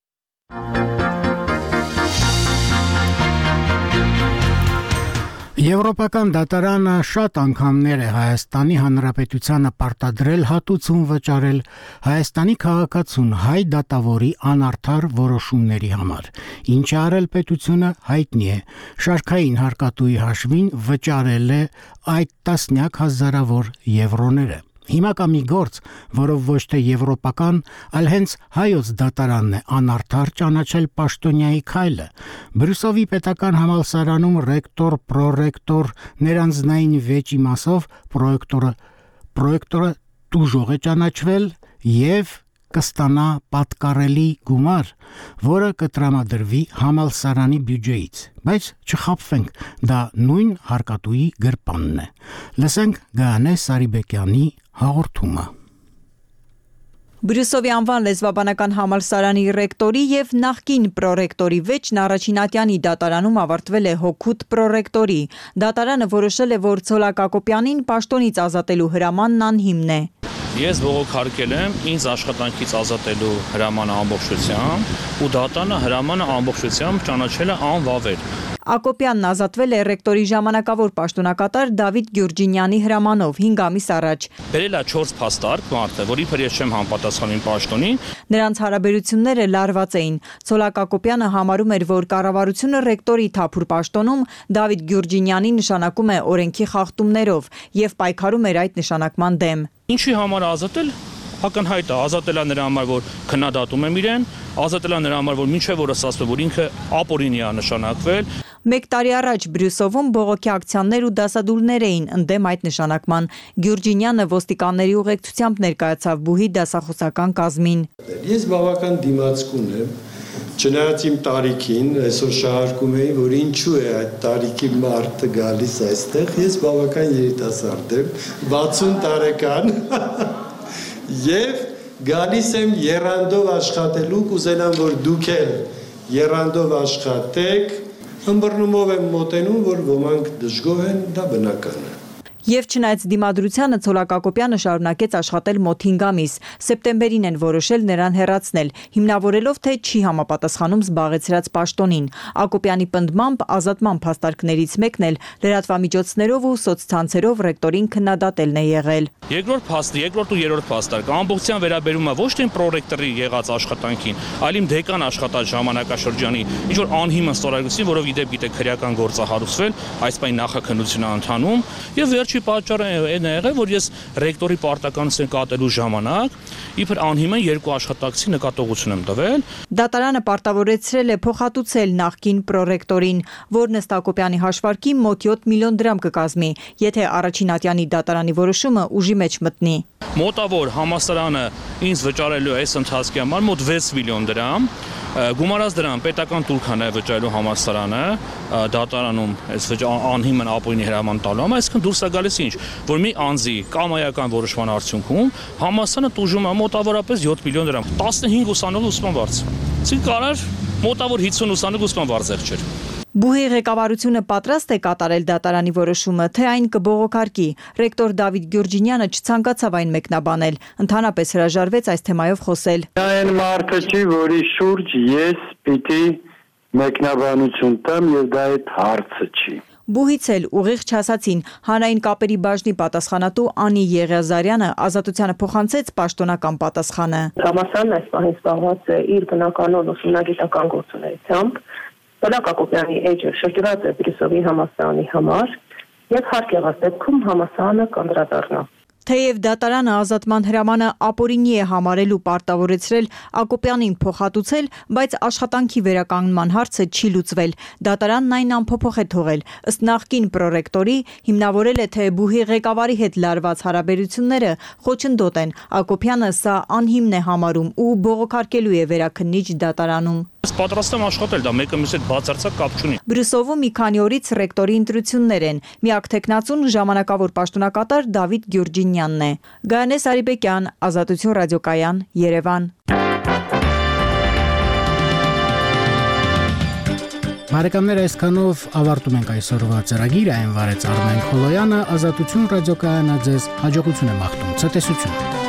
Եվրոպական դատարանը շատ անգամներ է Հայաստանի Հանրապետությանը պարտադրել հատուցում վճարել Հայաստանի քաղաքացուն հայ դատավորի անարդար որոշումների համար։ Ինչ է արել պետությունը հայտնի է։ Շարքային հարկատուի հաշվին վճարել է այդ տասնյակ հազարավոր եվրոները։ Հիմա կա մի գործ, որով ոչ թե եվրոպական, այլ հենց հայոց դատարանն է անարդար ճանաչել պաշտոնյայի քայլը։ Բրյուսովի պետական համալսարանում ռեկտոր, պրոռեկտոր, ներանձնային վեճի մասով պրոյեկտորը տուժող է ճանաչվել եւ կստանա պատկառելի գումար, որը կտրամադրվի համալսարանի բյուջեից, բայց չխաբվենք, դա նույն հարկատուի գրպանն է։ Լսենք Գայանե Սարիբեկյանի հաղորդումը։ Բրյուսովի անվան լեզվաբանական համալսարանի ռեկտորի եւ նախկին պրոռեկտորի վեճն առաջին ատյանի դատարանում ավարտվել է հօգուտ պրոռեկտորի։ Դատարանը որոշել է, որ Ցոլակ Ակոպյանին պաշտոնից ազատելու հրամանն անհիմն է։ Ես բողոքարկել եմ ինձ աշխատանքից ազատելու հրամանը ամբողջությամբ ու դատարանը հրամանը ամբողջությամբ ճանաչել է անվավեր։ Ակոպյանն ազատվել է ռեկտորի ժամանակավոր պաշտոնակատար Դավիթ Գյուրջինյանի հրամանով 5 ամիս առաջ։ Բերել է 4 փաստարկ մարդը, որ իբր ես չեմ համապատասխանում պաշտոնին։ Նրանց հարաբերությունները լարված էին։ Ցոլակ Ակոպյանը համարում էր, որ կառավարությունը ռեկտորի թափուր պաշտոնում Դավիթ Գյուրջինյանի նշանակում է օրենքի խախտումներով եւ պայքարում էր այդ նշանակման դեմ։ Ինչի համար ազատել։ Ակնհայտ է, ազատել է նրա համար, որ քննադատում եմ իրեն, ազատել է նրա համար, որ մինչև օրս ասում որ ինքը ապօրինի է նշանակվել։ 1 տարի առաջ Բրյուսովում բողոքի ակցիաներ ու դասադուլներ էին ընդդեմ այդ նշանակման։ Գյուրջինյանը ոստիկանների ուղեկցությամբ ներկայացավ բուհի դասախոսական կազմին։ Ես բավական դիմացկուն եմ, չնայած իմ տարիքին, այսօր շահարկում էի, որ ինչու է այդ տարիքի մարդը գալիս այստեղ, ես բավական երիտասարդ եմ, 60 տարեկան Եվ գալիս եմ եռանդով աշխատելու, կուզենամ, որ դուք էլ եռանդով աշխատեք, ըմբռնումով եմ մոտենում, որ ոմանք դժգոհ են, դա բնական է։ Եվ չնայած դիմադրությանը Ցոլակ Ակոպյանը շարունակեց աշխատել մոտ 5 ամիս։ Սեպտեմբերին են որոշել նրան հեռացնել, հիմնավորելով, թե չի համապատասխանում զբաղեցրած պաշտոնին։ Ակոպյանի պնդմամբ ազատման փաստարկներից մեկն էլ լրատվամիջոցներով ու սոցցանցերով ռեկտորին քննադատելն է եղել։ Երկրորդ ու երրորդ փաստարկ ամբողջությամբ վերաբերում է ոչ թե պրոռեկտորի եղած աշխատանքին, այլ իմ դեկան աշխատած ժամանակաշրջանի ինչ որ անհիմն ստորագրություն, որով իդեպ գիտեք քրեական գործ է հարուցվել, այս պայն նախաքննություն է ընթանում, եւ վերջի պատճառը այն է եղել, որ ես ռեկտորի պարտականություն կատարելու ժամանակ իբր անհիմն 2 աշխատակցի նկատողություն եմ տվել։ Դատարանը պարտավորեցրել է փոխհատուցել նախկին պրոռեկտորին, որն ըստ Ակոպյանի հաշվարկի մոտ 7 միլիոն դրամ կկազմի, եթե առաջին ատյանի դատարանի որոշումը ուժի մեջ մտնի։ Մոտավոր համալսարանը ինձ վճարելու է այս ընթացքի համար մոտ 6 միլիոն դրամ։ Գումարած դրան պետական տուրքան է վճարելու համալսարանը դատարանում այս անհիմն ապօրինի հրաման տալու համար, այսինքն դուրս է գալիս ինչ, որ մի անձի կամայական որոշման արդյունքում համալսարանը տուժում է մոտավորապես 7 միլիոն դրամ, 15 ուսանող ուսման վարձ։ Այսինքն կարար մոտավոր 50 ուսանող ուսման վարձեր չէր։ Բուհի ղեկավարությունը պատրաստ է կատարել դատարանի որոշումը, թե այն կբողոքարկի։ Ռեկտոր Դավիթ Գյուրջինյանը չցանկացավ այն մեկնաբանել, ընդհանրապես հրաժարվեց այս թեմայով խոսել։ Այն մարդը չի, որի շուրջ ես պիտի մեկնաբանություն տամ եւ դա այդ հարցը չի։ Բուհից էլ ուղիղ չասացին հանրային կապերի բաժնի պատասխանատու Անի Եղիազարյանը ազատությանը փոխանցեց պաշտոնական պատասխանը։ Համալսարանն այս պահին զբաղված է իր բնականոն ուսումնագիտական գործունեությամբ։ Ցոլակ Ակոպյանի էջը շրջված է Բրյուսովի համալսարանի համար եւ հարկ եղած դեպքում համալսարանը կանդրադառնա։ Թեև դատարանը ազատման հրամանը ապօրինի է համարել ու պարտավորեցրել Ակոպյանին փոխհատուցել, բայց աշխատանքի վերականգնման հարցը չի լուծվել։ Դատարանն այն անփոփոխ է թողել։ Ըստ նախկին պրոռեկտորի հիմնավորել է, թե բուհի ղեկավարի հետ լարված հարաբերությունները խոչընդոտ են։ Ակոպյանը սա անհիմն է համարում ու բողոքարկելու է վերաքննիչ դատարանում։ Ես պատրաստ եմ աշխատել, դա մեկը մյուսի հետ բացարձակ կապ չունի։ Բրյուսովում մի քանի օրից ռեկտորի ընտրություններ են։ Միակ տեխնացուն ժամանակավոր պաշտոնակատար Դավիթ Գյուրջինյանն է։ Գայանե Սարիբեկյան, Ազատություն ռադիոկայան, Երևան։ Բարեկամներ, այսքանով ավարտում ենք այսօրվա ծրագիրը, այն վարեց Արմեն Խոլոյանը, Ազատություն ռադիոկայանը ձեզ հաջողություն է մաղթում, ցտեսություն։